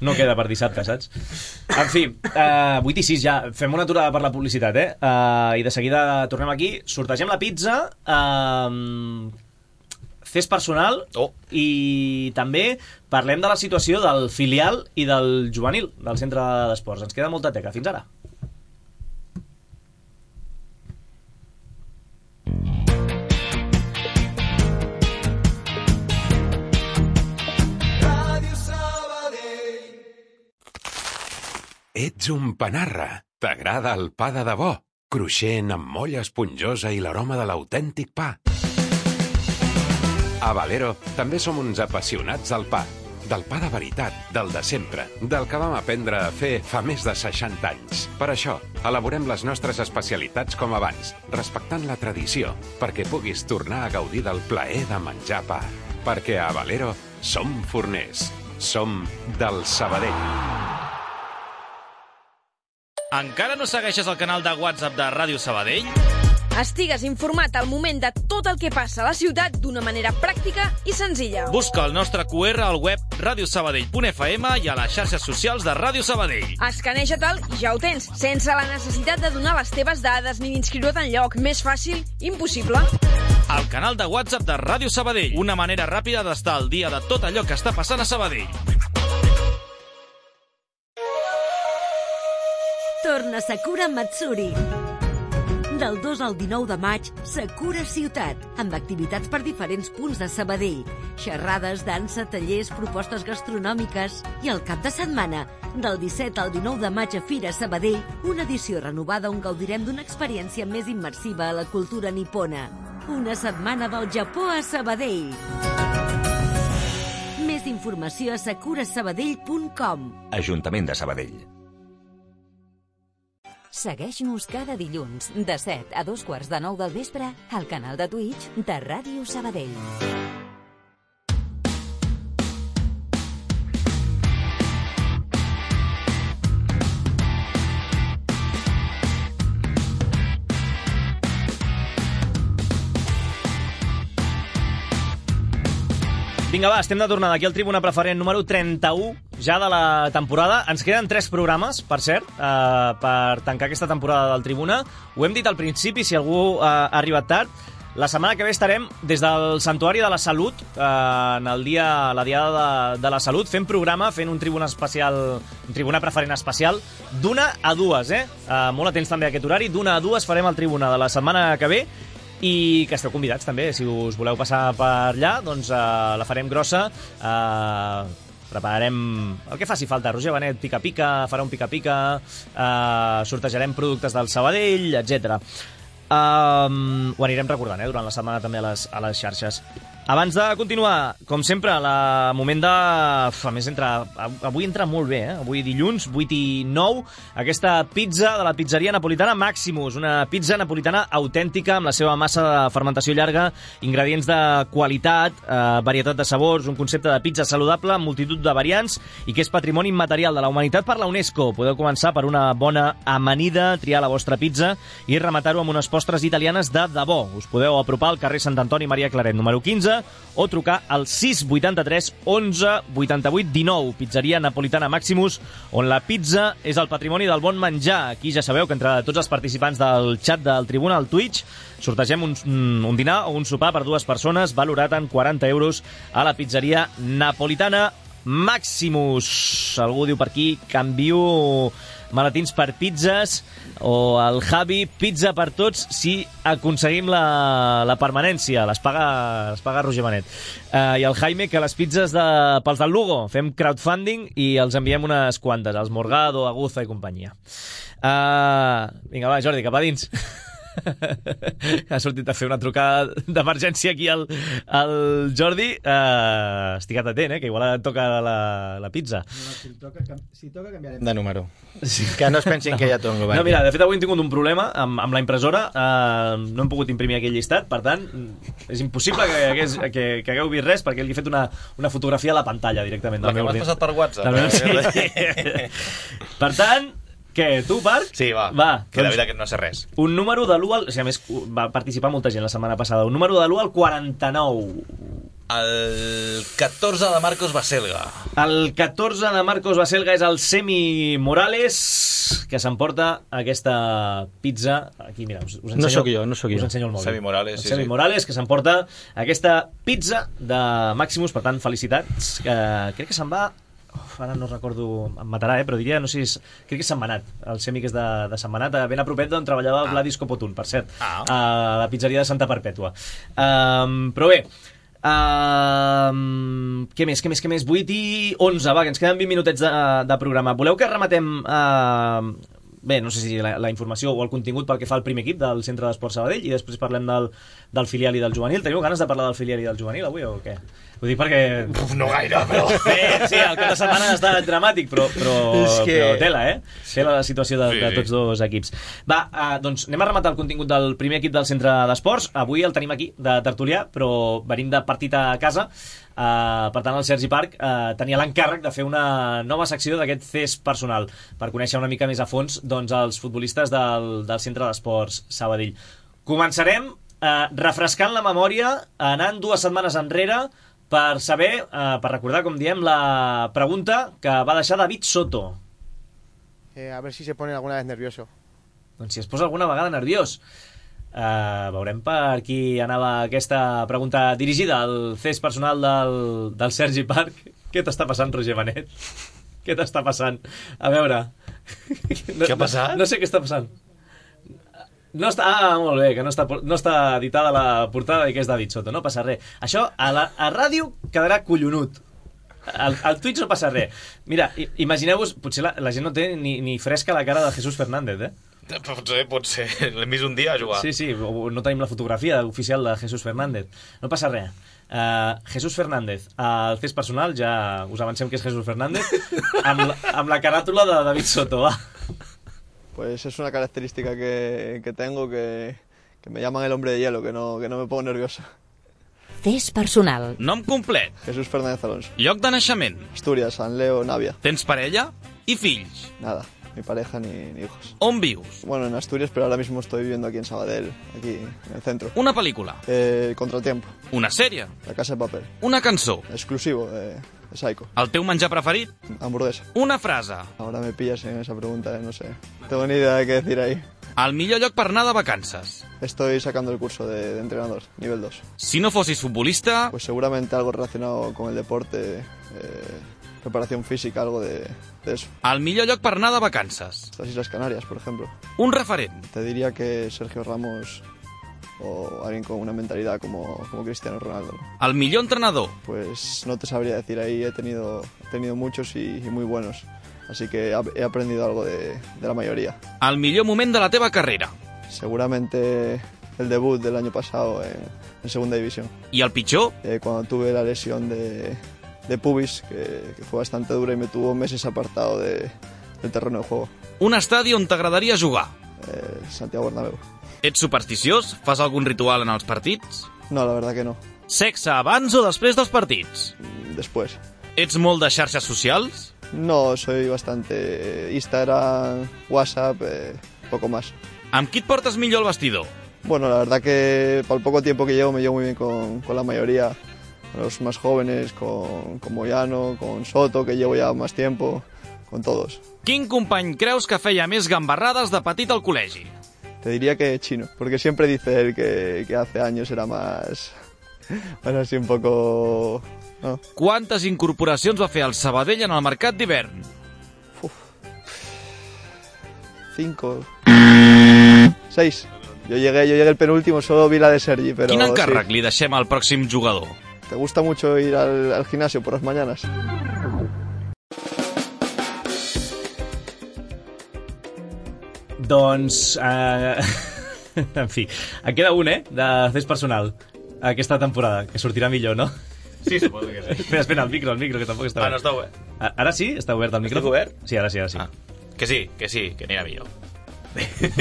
No queda per dissabte, saps? En fi, 8 i 6 ja. Fem una aturada per la publicitat, i de seguida tornem aquí, sortegem la pizza, fes personal, i també parlem de la situació del filial i del juvenil del centre d'esports. Ens queda molta teca. Fins ara. Ets un panarra. T'agrada el pa de debò, cruixent amb molla esponjosa i l'aroma de l'autèntic pa. A Valero també som uns apassionats del pa. Del pa de veritat, del de sempre, del que vam aprendre a fer fa més de 60 anys. Per això, elaborem les nostres especialitats com abans, respectant la tradició, perquè puguis tornar a gaudir del plaer de menjar pa. Perquè a Valero som forners. Som del Sabadell. Encara no segueixes el canal de WhatsApp de Ràdio Sabadell? Estigues informat al moment de tot el que passa a la ciutat d'una manera pràctica i senzilla. Busca el nostre QR al web radiosabadell.fm i a les xarxes socials de Ràdio Sabadell. Escaneja-te'l i ja ho tens, sense la necessitat de donar les teves dades ni d'inscriure't enlloc. Més fàcil, impossible. El canal de WhatsApp de Ràdio Sabadell. Una manera ràpida d'estar al dia de tot allò que està passant a Sabadell. Torna Sakura Matsuri. Del 2 al 19 de maig, Sakura Ciutat, amb activitats per diferents punts de Sabadell. Xerrades, dansa, tallers, propostes gastronòmiques. I el cap de setmana, del 17 al 19 de maig a Fira Sabadell, una edició renovada on gaudirem d'una experiència més immersiva a la cultura nipona. Una setmana del Japó a Sabadell. Més informació a sakurasabadell.com. Ajuntament de Sabadell. Segueix-nos cada dilluns de 7 a 2:45 del vespre al canal de Twitch de Ràdio Sabadell. Vinga, va, estem de tornada aquí al Tribuna Preferent número 31 ja de la temporada. Ens queden 3 programes, per cert, per tancar aquesta temporada del Tribuna. Ho hem dit al principi, si algú ha arribat tard. La setmana que ve estarem des del Santuari de la Salut, en el dia, la Diada de la Salut, fent programa, fent un Tribuna especial, un Tribuna Preferent especial, d'1 a 2, molt atents també a aquest horari. D'1 a 2 farem el Tribuna de la setmana que ve, i que esteu convidats també, si us voleu passar per allà, doncs la farem grossa, prepararem el que faci falta. Roger Benet pica-pica, farà un pica-pica, sortejarem productes del Sabadell, etc. Ho anirem recordant durant la setmana també a les xarxes. Abans de continuar, com sempre, moment de... A més, avui entra molt bé, avui dilluns, 8 i 9, aquesta pizza de la pizzeria napolitana Maximus, una pizza napolitana autèntica amb la seva massa de fermentació llarga, ingredients de qualitat, varietat de sabors, un concepte de pizza saludable amb multitud de variants i que és patrimoni immaterial de la humanitat per la UNESCO. Podeu començar per una bona amanida, triar la vostra pizza i rematar-ho amb unes postres italianes de debò. Us podeu apropar al carrer Sant Antoni Maria Claret, número 15, o trucar al 683 11 88 19. Pizzeria napolitana Maximus, on la pizza és el patrimoni del bon menjar. Aquí ja sabeu que entre tots els participants del xat del Tribuna al Twitch sortegem un dinar o un sopar per 2 persones valorat en 40 euros a la pizzeria napolitana Maximus. Algú diu per aquí, canvio maletins per pizzas, o el Javi, pizza per tots si aconseguim la permanència. Les paga Roger Benet. I el Jaime, que les pizzas pels del Lugo fem crowdfunding i els enviem unes quantes, els Morgado, Aguza i companyia. Vinga, va, Jordi, cap a dins. Ha sortit a fer una trucada d'emergència aquí al Jordi. Estigua't atent, que igual et toca la pizza. Si toca canviarem de número, que no es pensin que ja tongo. No, mira, de fet avui hem tingut un problema amb la impressora. No hem pogut imprimir aquell llistat, per tant és impossible que hagueu vist res, perquè li he fet una fotografia a la pantalla directament. La que m'has passat per WhatsApp. Per tant, què, tu, Parc? Sí, va. Que de veritat que no sé res. Un número de l'1 al... O sigui, a més, va participar molta gent la setmana passada. Un número de l'1 al 49. El 14 de Marcos Baselga. El 14 de Marcos Baselga és el Semi Morales, que s'emporta aquesta pizza. Aquí, mira, us ensenyo... No sóc jo. Us ensenyo el mòbil. Semi Morales, Semi Morales, que s'emporta aquesta pizza de Maximus. Per tant, felicitats. Crec que se'n va... Ara no recordo, em matarà, però diria, no sé si crec que és Sant Manat, el Semi que és de Sant Manat, ben a propet d'on treballava Vladis Copotun, per cert, a la pizzeria de Santa Perpètua. Però bé, què més? 8 i 11, va, que ens queden 20 minutets de programa. Voleu que rematem... Bé, no sé si la informació o el contingut pel que fa al primer equip del Centre d'Esport Sabadell i després parlem del filial i del juvenil. Teniu ganes de parlar del filial i del juvenil avui o què? Ho dic perquè... No gaire, però... Bé, sí, el cap de setmana ha estat dramàtic, però tela, Tela la situació de tots dos equips. Va, doncs anem a rematar el contingut del primer equip del Centre d'Esports. Avui el tenim aquí, de tertulià, però venim de partit a casa. Per tant, el Sergi Parc tenia l'encàrrec de fer una nova secció d'aquest CES personal per conèixer una mica més a fons els futbolistes del Centre d'Esports Sabadell. Començarem refrescant la memòria, anant 2 setmanes enrere per saber, per recordar, com diem, la pregunta que va deixar David Soto. A ver si se pone alguna vez nervioso. Doncs si es posa alguna vegada nerviós. Veurem per qui anava aquesta pregunta dirigida al CES personal del Sergi Parc. Què t'està passant, Roger Benet? Què t'està passant? A veure... Què ha passat? No sé què està passant. No està... molt bé, que no està editada la portada i que és David Soto. No passa res. Això a ràdio quedarà collonut. Al Twitch no passa res. Mira, imagineu-vos, potser la gent no té ni fresca la cara de Jesús Fernández, Pot ser. L'hem vist un dia a jugar. Sí, no tenim la fotografia oficial de Jesús Fernández. No passa res. Jesús Fernández, al CES personal, ja us avancem que és Jesús Fernández, amb la caràtula de David Soto, va. Pues es una característica que tengo que me llaman el hombre de hielo, que no me pongo nervioso. Test personal. Nom complet. Jesús Fernández Alonso. Lloc de naixement. Asturias, San Leo, Navia. Tens parella i fills. Nada, ni pareja ni hijos. On vius? Bueno, en Asturias, pero ahora mismo estoy viviendo aquí en Sabadell, aquí en el centro. Una pel·lícula. Contratiempo. Una sèrie. La Casa de Papel. Una cançó. Exclusivo de Psycho. El teu menjar preferit? Hamburguesa. Una frase. Ahora me pillas en esa pregunta, no sé. No tengo ni idea de qué decir ahí. El millor lloc per anar de vacances. Estoy sacando el curso de entrenador, nivel 2. Si no fossis futbolista... Pues seguramente algo relacionado con el deporte, preparación física, algo de eso. El millor lloc per anar de vacances. Las Islas Canarias, por ejemplo. Un referent. Te diría que Sergio Ramos o alguien con una mentalidad como Cristiano Ronaldo. El millor entrenador. Pues no te sabría decir, ahí he tenido muchos y muy buenos. Así que he aprendido algo de la mayoría. El millor moment de la teva carrera. Seguramente el debut del año pasado en segunda división. ¿Y el pitjor? Cuando tuve la lesión de pubis, que fue bastante dura y me tuvo meses apartado del terreno de juego. Un estadi on t'agradaria jugar? Santiago Bernabéu. Ets supersticiós? Fas algun ritual en els partits? No, la verdad que no. Sexe abans o després dels partits? Después. Ets molt de xarxes socials? No, soy bastante Instagram, WhatsApp, poco más. Amb qui et portes millor al vestidor? Bueno, la verdad que por el poco tiempo que llevo me llevo muy bien con la mayoría, con los más jóvenes, con Moyano, con Soto, que llevo ya más tiempo, con todos. Quin company creus que feia més gambarrades de petit al col·legi? Te diría que Chino, porque siempre dice él que hace años era más así un poco... ¿no? Quantes incorporacions va fer el Sabadell en el mercat d'hivern? 5, 6. Yo llegué el penúltimo, solo vi la de Sergi, pero... Quin encàrrec sí. li deixem al pròxim jugador? ¿Te gusta mucho ir al gimnasio por las mañanas? Doncs, en fi, en queda un, de test personal aquesta temporada, que sortirà millor, no? Sí, suposo que sí. Espera, el micro, que tampoc està obert. No està obert. Ara sí? Està obert el micro? Estic obert? Sí, ara sí. Que sí, que anirà millor.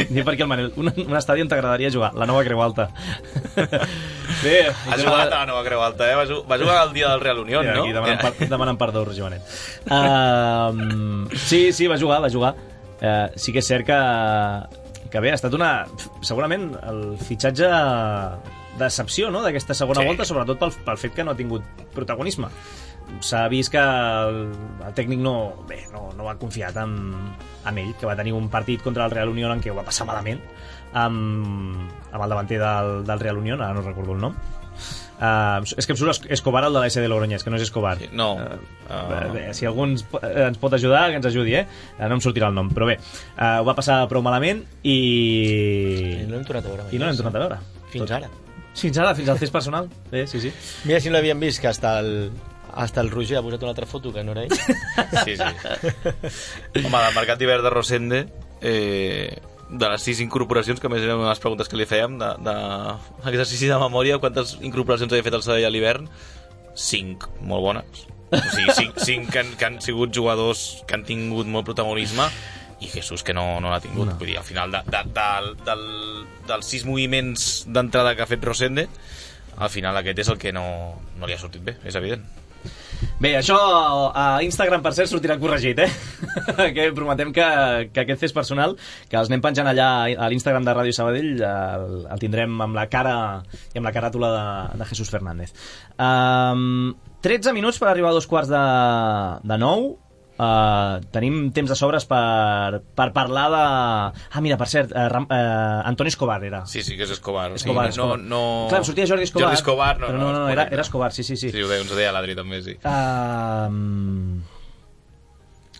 Ni perquè el Manel, un estadi on t'agradaria jugar, la nova Creu Alta. Bé, ha jugat a la nova Creu Alta, va jugar el dia del Real Unión, no? Aquí demanant perdó, Joanet. Sí, va jugar. Sí que és cert que bé, ha estat segurament el fitxatge decepció, no?, d'aquesta segona volta, sobretot pel fet que no ha tingut protagonisme. S'ha vist que el tècnic no va confiat en ell, que va tenir un partit contra el Real Unión en què ho va passar malament amb el davanter del Real Unión, ara no recordo el nom. És que em surt Escobar, el de l'AS de Logroñés, que no és Escobar. No. Si algú ens pot ajudar, que ens ajudi, no em sortirà el nom, però bé, ho va passar prou malament i no l'hem tornat a veure. Fins ara. Fins al test personal. Sí. Mira si no l'havien vist, que hasta el Roger ha posat una altra foto que no era ell. Sí. Home, del mercat d'hivern de Rosende, de les 6 incorporacions, que a més eren les preguntes que li fèiem, d'exercici de memòria, quantes incorporacions havia fet el Sabadell a l'hivern? 5, molt bones. O sigui, 5 que han sigut jugadors que han tingut molt protagonisme, i Jesús que no l'ha tingut. Vull dir, al final dels 6 moviments d'entrada que ha fet Rosende, al final aquest és el que no li ha sortit bé, és evident. Bé, això a Instagram, per cert, sortirà corregit, que prometem que aquest test personal, que els anem penjant allà a l'Instagram de Ràdio Sabadell, el tindrem amb la cara i amb la caràtula de Jesús Fernández. 13 minuts per arribar a 8:45. Tenim temps de sobres per parlar de... Mira, per cert, Antoni Escobar era. Sí, que és Escobar. Escobar. Clar, em sortia Jordi Escobar. Jordi Escobar, però no, era Escobar, sí. Sí, ens ho deia l'Adri també, sí.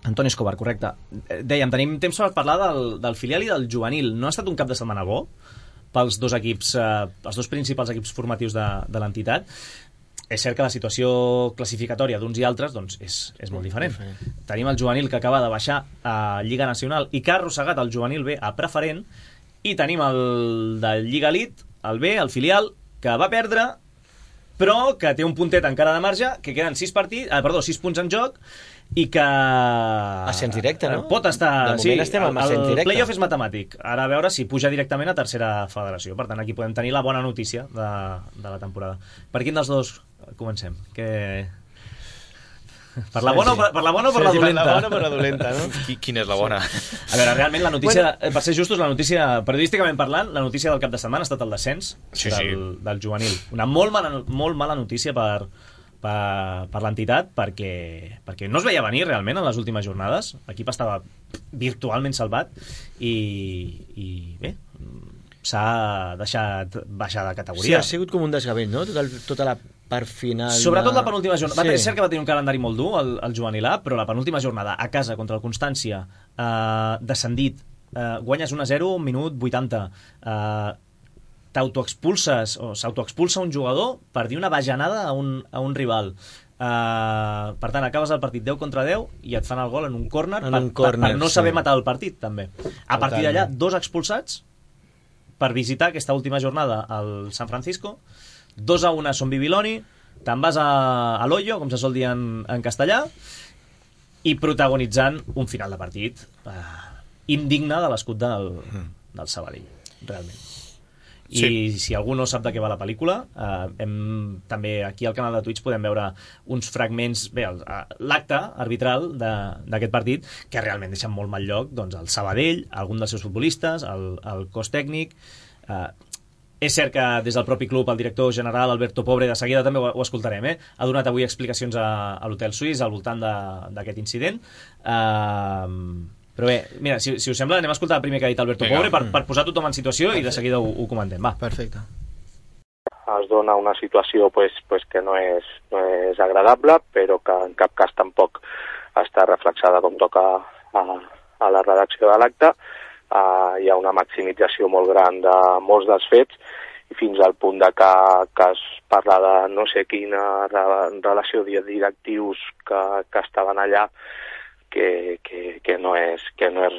Antoni Escobar, correcte. Dèiem, tenim temps per parlar del filial i del juvenil. No ha estat un cap de setmana bo pels dos equips, els dos principals equips formatius de l'entitat. És cert que la situació classificatòria d'uns i altres doncs, és molt diferent. Tenim el juvenil que acaba de baixar a Lliga Nacional i que ha arrossegat el juvenil B a preferent, i tenim el de Lliga Elite, el B, el filial, que va perdre però que té un puntet encara de marge, que queden 6 punts en joc, i que... Ascens directe, no? Pot estar... De moment estem amb ascens directe. El playoff és matemàtic. Ara a veure si puja directament a tercera federació. Per tant, aquí podem tenir la bona notícia de la temporada. Per quin dels dos comencem? Per la bona o per la dolenta? Per la bona o per la dolenta, no? Quina és la bona? A veure, realment la notícia, per ser justos, la notícia, periodísticament parlant, la notícia del cap de setmana ha estat el descens del juvenil. Una molt mala notícia per l'entitat, perquè no es veia venir realment en les últimes jornades. L'equip estava virtualment salvat i bé, s'ha deixat baixar de categoria. Sí, ha sigut com un desgavell, no? Tota la part final... Sobretot la penúltima jornada. És cert que va tenir un calendari molt dur, el juvenil A, però la penúltima jornada a casa contra el Constància, descendit, guanyes 1-0, minut 80, t'autoexpulses o s'autoexpulsa un jugador per dir una bajanada a un rival. Per tant, acabes el partit 10 contra 10 i et fan el gol en un córner per no saber matar el partit, també. A partir d'allà, 2 expulsats per visitar aquesta última jornada al San Francisco, 2-1 a Son Bibiloni, te'n vas a l'Hoyo, com se sol dir en castellà, i protagonitzant un final de partit indigne de l'escut del Sabadell, realment. I si algú no sap de què va la pel·lícula, també aquí al canal de Twitch podem veure uns fragments, bé, l'acte arbitral d'aquest partit, que realment deixen molt mal lloc el Sabadell, algun dels seus futbolistes, el cos tècnic. És cert que des del propi club el director general Alberto Pobre, de seguida també ho escoltarem, ha donat avui explicacions a l'Hotel Suís al voltant d'aquest incident. Però bé, mira, si us sembla, anem a escoltar el primer que ha dit Alberto Pobre per posar tothom en situació i de seguida ho comentem. Va. Perfecte. Es dona una situació que no és agradable, però que en cap cas tampoc està reflexada com toca a la redacció de l'acte. Hi ha una maximització molt gran de molts dels fets i fins al punt de que es parla de no sé quina relació de directius que estaven allà, que no és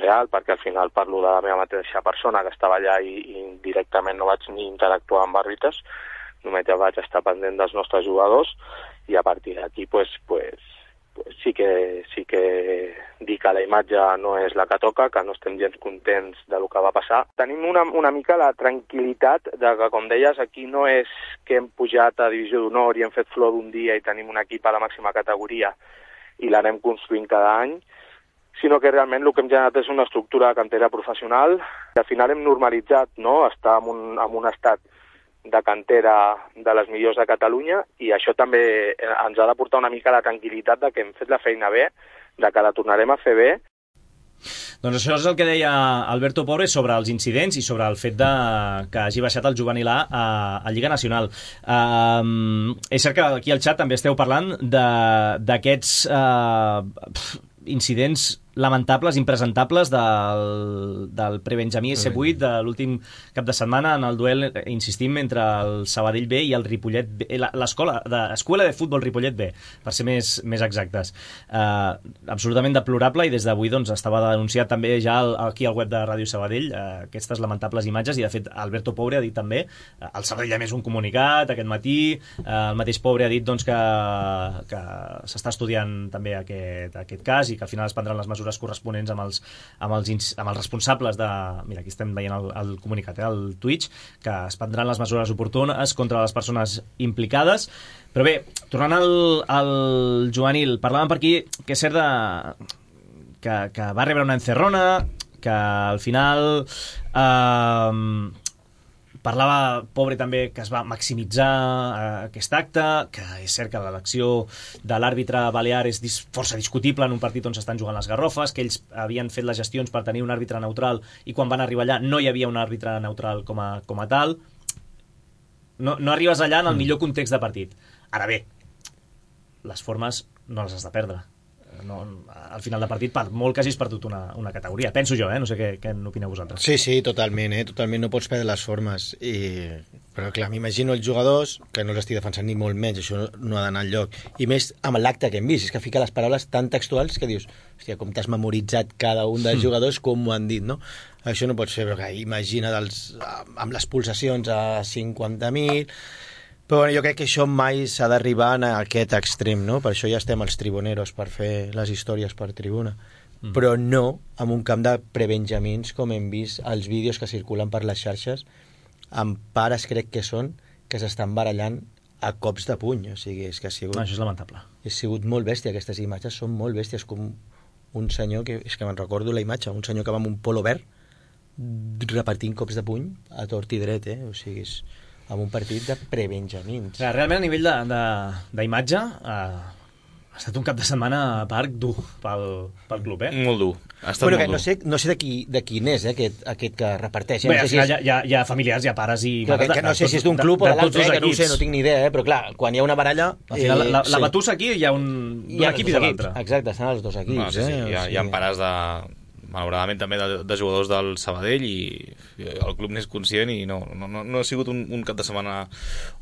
real, perquè al final parlo de la meva mateixa persona que estava allà i directament no vaig ni interactuar amb àrbitres, només ja vaig estar pendent dels nostres jugadors i a partir d'aquí sí que dir que la imatge no és la que toca, que no estem gens contents del que va passar. Tenim una mica la tranquil·litat de que, com deies, aquí no és que hem pujat a Divisió d'Honor i hem fet flor d'un dia i tenim un equip a la màxima categoria i l'anem construint cada any, sinó que realment el que hem generat és una estructura de cantera professional. Al final hem normalitzat, no?, estar en un estat de cantera de les millors de Catalunya i això també ens ha de portar una mica la tranquil·litat de que hem fet la feina bé, de que la tornarem a fer bé. Doncs això és el que deia Alberto Pobre sobre els incidents i sobre el fet que hagi baixat el juvenil a Lliga Nacional. És cert que aquí al xat també esteu parlant d'aquests incidents lamentables, impresentables del prebenjamí S8 de l'últim cap de setmana en el duel, insistim, entre el Sabadell B i el Ripollet B, l'escola de futbol Ripollet B, per ser més exactes. Absolutament deplorable i des d'avui estava denunciat també ja aquí al web de Ràdio Sabadell aquestes lamentables imatges i de fet Alberto Pobre ha dit també, el Sabadell ha emès un comunicat aquest matí, el mateix Pobre ha dit que s'està estudiant també aquest cas i que al final es prendran les mesures corresponents amb els responsables de... Mira, aquí estem veient el comunicat, al Twitch, que es prendran les mesures oportunes contra les persones implicades. Però bé, tornant al juvenil, parlàvem per aquí que és cert que va rebre una encerrona, que al final... Parlava Pobre també que es va maximitzar aquest acte, que és cert que l'elecció de l'àrbitre balear és força discutible en un partit on s'estan jugant les garrofes, que ells havien fet les gestions per tenir un àrbitre neutral i quan van arribar allà no hi havia un àrbitre neutral com a tal. No arribes allà en el millor context de partit. Ara bé, les formes no les has de perdre. Al final de partit, per molt que hagis perdut una categoria. Penso jo, no sé què n'opineu vosaltres. Sí, totalment, totalment no pots perdre les formes. Però clar, m'imagino els jugadors, que no l'estic defensant ni molt menys, això no ha d'anar enlloc. I més amb l'acte que hem vist, és que fica les paraules tan textuals que dius, hòstia, com t'has memoritzat cada un dels jugadors, com ho han dit, no? Això no pot ser, però imagina amb les pulsacions a 50.000... Però bueno, jo crec que això mai s'ha d'arribar a aquest extrem, no? Per això ja estem els tribuneros, per fer les històries per tribuna. Però no amb un camp de prebenjamins, com hem vist els vídeos que circulen per les xarxes, amb pares, crec que són, que s'estan barallant a cops de puny. O sigui, és que ha sigut... No, això és lamentable. Ha sigut molt bèstia, aquestes imatges són molt bèsties, com un senyor, que és que me'n recordo la imatge, un senyor que va amb un polo verd repartint cops de puny a tort i dret, O sigui, és amb un partit de prebenjamins. Realment, a nivell d'imatge, ha estat un cap de setmana a parc dur pel club, Molt dur. Ha estat Bueno, que molt dur. no sé de quin és, aquest que reparteix. Bé, No al sé si final hi ha familiars, hi ha pares i... Clar, que no sé si és d'un club o de l'altre, que no ho sé, no tinc ni idea, però clar, quan hi ha una baralla... Al final, la batussa aquí hi ha un equip i de l'altre. Exacte, estan els dos equips. No, sí. Hi ha pares malauradament també de jugadors del Sabadell i el club n'és conscient i no ha sigut un cap de setmana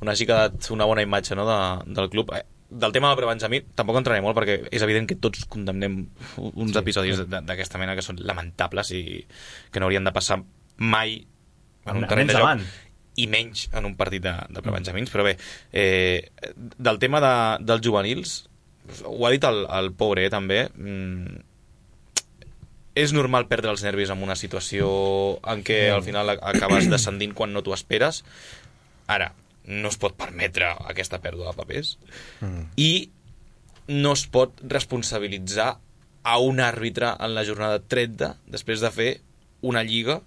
on hagi quedat una bona imatge, no, del club. Del tema del prebenjamí tampoc entraré molt perquè és evident que tots condemnem uns episodis d'aquesta mena que són lamentables i que no haurien de passar mai en un terreny de joc i menys en un partit de prebenjamins. Però bé, del tema dels juvenils, ho ha dit el Pobre també, és normal perdre els nervis en una situació en què al final acabes descendint quan no t'ho esperes. Ara, no es pot permetre aquesta pèrdua de papers i no es pot responsabilitzar a un àrbitre en la jornada 30 després de fer una lliga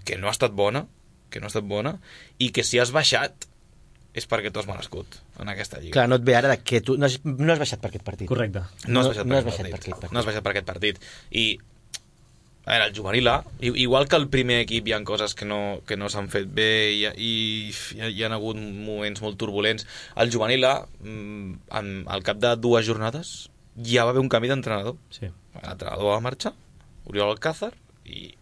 que no ha estat bona i que si has baixat és perquè tu has merescut en aquesta lliga. Clar, no et ve ara que tu no has baixat per aquest partit. Correcte. No has baixat per aquest partit. I a veure, el juvenil A, igual que el primer equip hi ha coses que no s'han fet bé i hi ha hagut moments molt turbulents. El juvenil A, al cap de 2 jornades, ja va haver un canvi d'entrenador. Sí. L'entrenador va marxar, Oriol Alcázar, i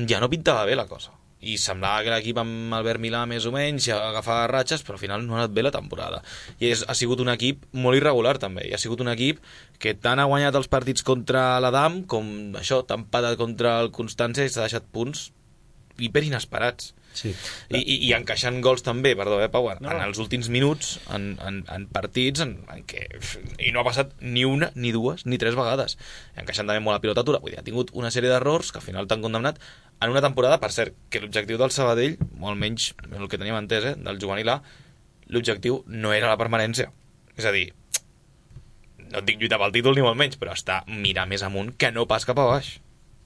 ja no pintava bé la cosa. I semblava que l'equip amb Albert Milà més o menys ja agafava ratxes, però al final no ha anat bé la temporada. I ha sigut un equip molt irregular també, i ha sigut un equip que tant ha guanyat els partits contra l'Adam com això, tant patat contra el Constància i s'ha deixat punts hiperinesperats. Sí. I encaixant gols també, perdó, Pau, en els últims minuts, en partits en què i no ha passat ni una, ni dues, ni 3 vegades. Encaixant també molt la pilota atura. Vull dir, ha tingut una sèrie d'errors que al final t'han condemnat en una temporada, per cert, que l'objectiu del Sabadell, o almenys el que teníem entès, del juvenil A, l'objectiu no era la permanència. És a dir, no et dic lluitar pel títol ni molt menys, però està mirar més amunt que no pas cap a baix.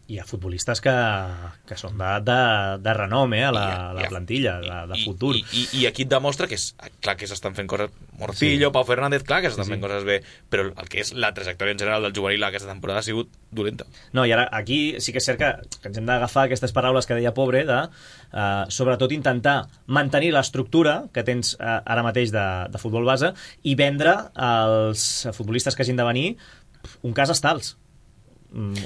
Hi ha futbolistes que són de renom a la plantilla, de futur. I aquí et demostra que clar que s'estan fent coses... Morcillo, Pau Fernández, clar que s'estan fent coses bé, però el que és la trajectòria en general del juvenil aquesta temporada ha sigut dolenta. No, i ara aquí sí que és cert que ens hem d'agafar aquestes paraules que deia Pobre de sobretot intentar mantenir l'estructura que tens ara mateix de futbol base i vendre als futbolistes que hagin de venir un cas Estals.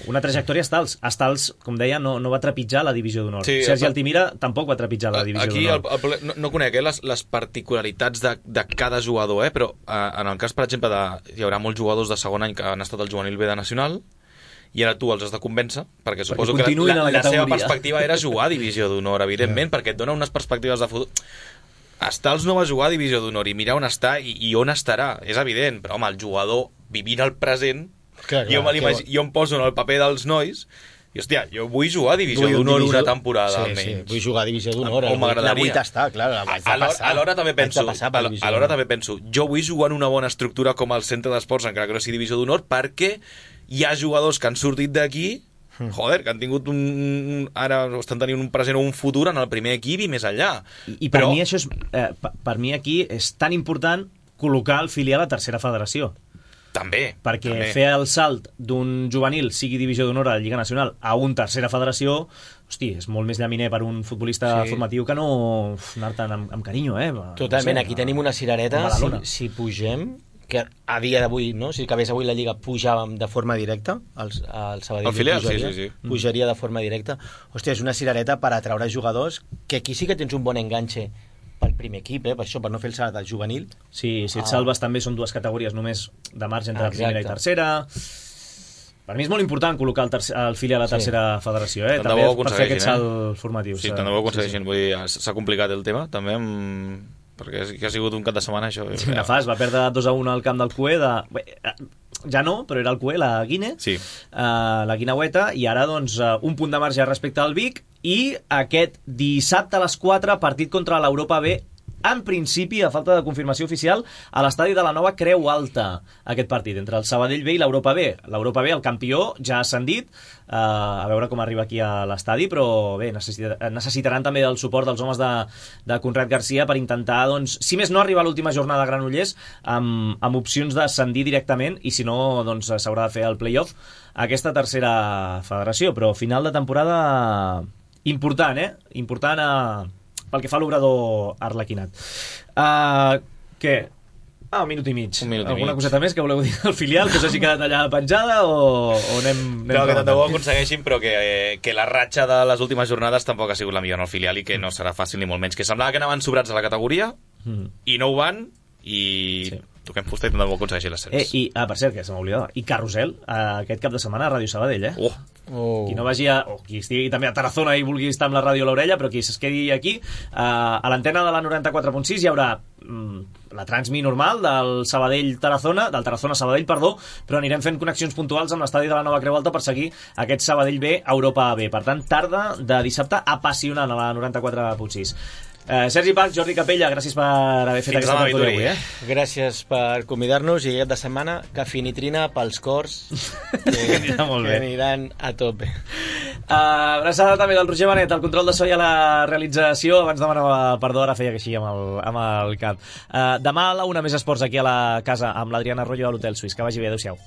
Una trajectòria Estals, com deia, no va trepitjar la divisió d'honor. Sí, Sergi Altimira tampoc va trepitjar la divisió d'honor. Aquí no conec les particularitats de cada jugador, però en el cas, per exemple, hi haurà molts jugadors de segon any que han estat al juvenil B de Nacional i ara tu els has de convèncer, perquè suposo que la seva perspectiva era jugar a divisió d'honor, evidentment, perquè et dona unes perspectives de futur. Estals no va jugar a divisió d'honor i mirar on està i on estarà, és evident, però home, el jugador vivint el present. Jo em poso en el paper dels nois i, hòstia, jo vull jugar a divisió d'honor una temporada, almenys. Sí, vull jugar a divisió d'honor. La vull tastar, clar. Alhora també penso, jo vull jugar en una bona estructura com el centre d'esports, encara que no sigui divisió d'honor, perquè hi ha jugadors que han sortit d'aquí, que han tingut ara estan tenint un present o un futur en el primer equip i més enllà. I per mi això és... Per mi aquí és tan important col·locar el filial a tercera federació. També. Perquè fer el salt d'un juvenil, sigui divisió d'honor a la Lliga Nacional, a un tercera federació, hosti, és molt més llaminer per un futbolista formatiu que no anar-te'n amb carinyo, Totalment, aquí tenim una cirereta, si pugem, que a dia d'avui, no? Si acabés avui la Lliga, pujàvem de forma directa, el Sabadell pujaria de forma directa. Hòstia, és una cirereta per atraure jugadors, que aquí sí que tens un bon enganxe pel primer equip, per això, per no fer el salt del juvenil. Sí, si et salves també són 2 categories només de marge entre primera i tercera. Per mi és molt important col·locar el filial a la tercera federació, també per fer aquest salt formatiu. Sí, tant de bo aconsegueixin. S'ha complicat el tema, també amb perquè sí que ha sigut un cap de setmana això. Nefast, va perdre 2-1 al camp del CUE ja no, però era el CUE, la Guine, sí. La Guineueta, i ara doncs un punt de marge respecte al Vic, i aquest dissabte a les 4, partit contra l'Europa B, en principi, a falta de confirmació oficial, a l'estadi de la Nova Creu Alta, aquest partit, entre el Sabadell B i l'Europa B. L'Europa B, el campió, ja ha ascendit, a veure com arriba aquí a l'estadi, però bé, necessitaran també el suport dels homes de Conrad Garcia per intentar, doncs, si més no arribar a l'última jornada a Granollers, amb opcions d'ascendir directament, i si no, doncs s'haurà de fer el play-off a aquesta tercera federació, però final de temporada important, important pel que fa a l'obrador arlequinat. Què? Un minut i mig. Alguna coseta més que voleu dir del filial, que s'hagi quedat allà penjada, o anem no, que tant de bo aconsegueixin, però que la ratxa de les últimes jornades tampoc ha sigut la millor en el filial i que no serà fàcil ni molt menys. Que semblava que anaven sobrats a la categoria i no ho van, i toquem fusta i tant de bo aconsegueixin l'ascens. Per cert, que se m'oblidava, i Carrusel, aquest cap de setmana a Ràdio Sabadell, qui no vagi qui estigui també a Tarazona i vulgui estar amb la ràdio a l'orella, però qui es quedi aquí, a l'antena de la 94.6 hi haurà la transmi normal del Tarazona-Sabadell, però anirem fent connexions puntuals amb l'estadi de la Nova Creu Alta per seguir aquest Sabadell B, Europa B. Per tant, tarda de dissabte apassionant a la 94.6. Sergi Pac, Jordi Capella, gràcies per haver fet aquesta tertúlia avui. Gràcies per convidar-nos, i aquest de setmana cafinitrina pels cors que aniran a tope. Abraçada també del Roger Benet, el control de so i a la realització. Abans demanava perdó, ara feia que així amb el cap. Demà a la 1 més esports aquí a la casa amb l'Adriana Arroyo a l'Hotel Suís. Que vagi bé, adéu-siau.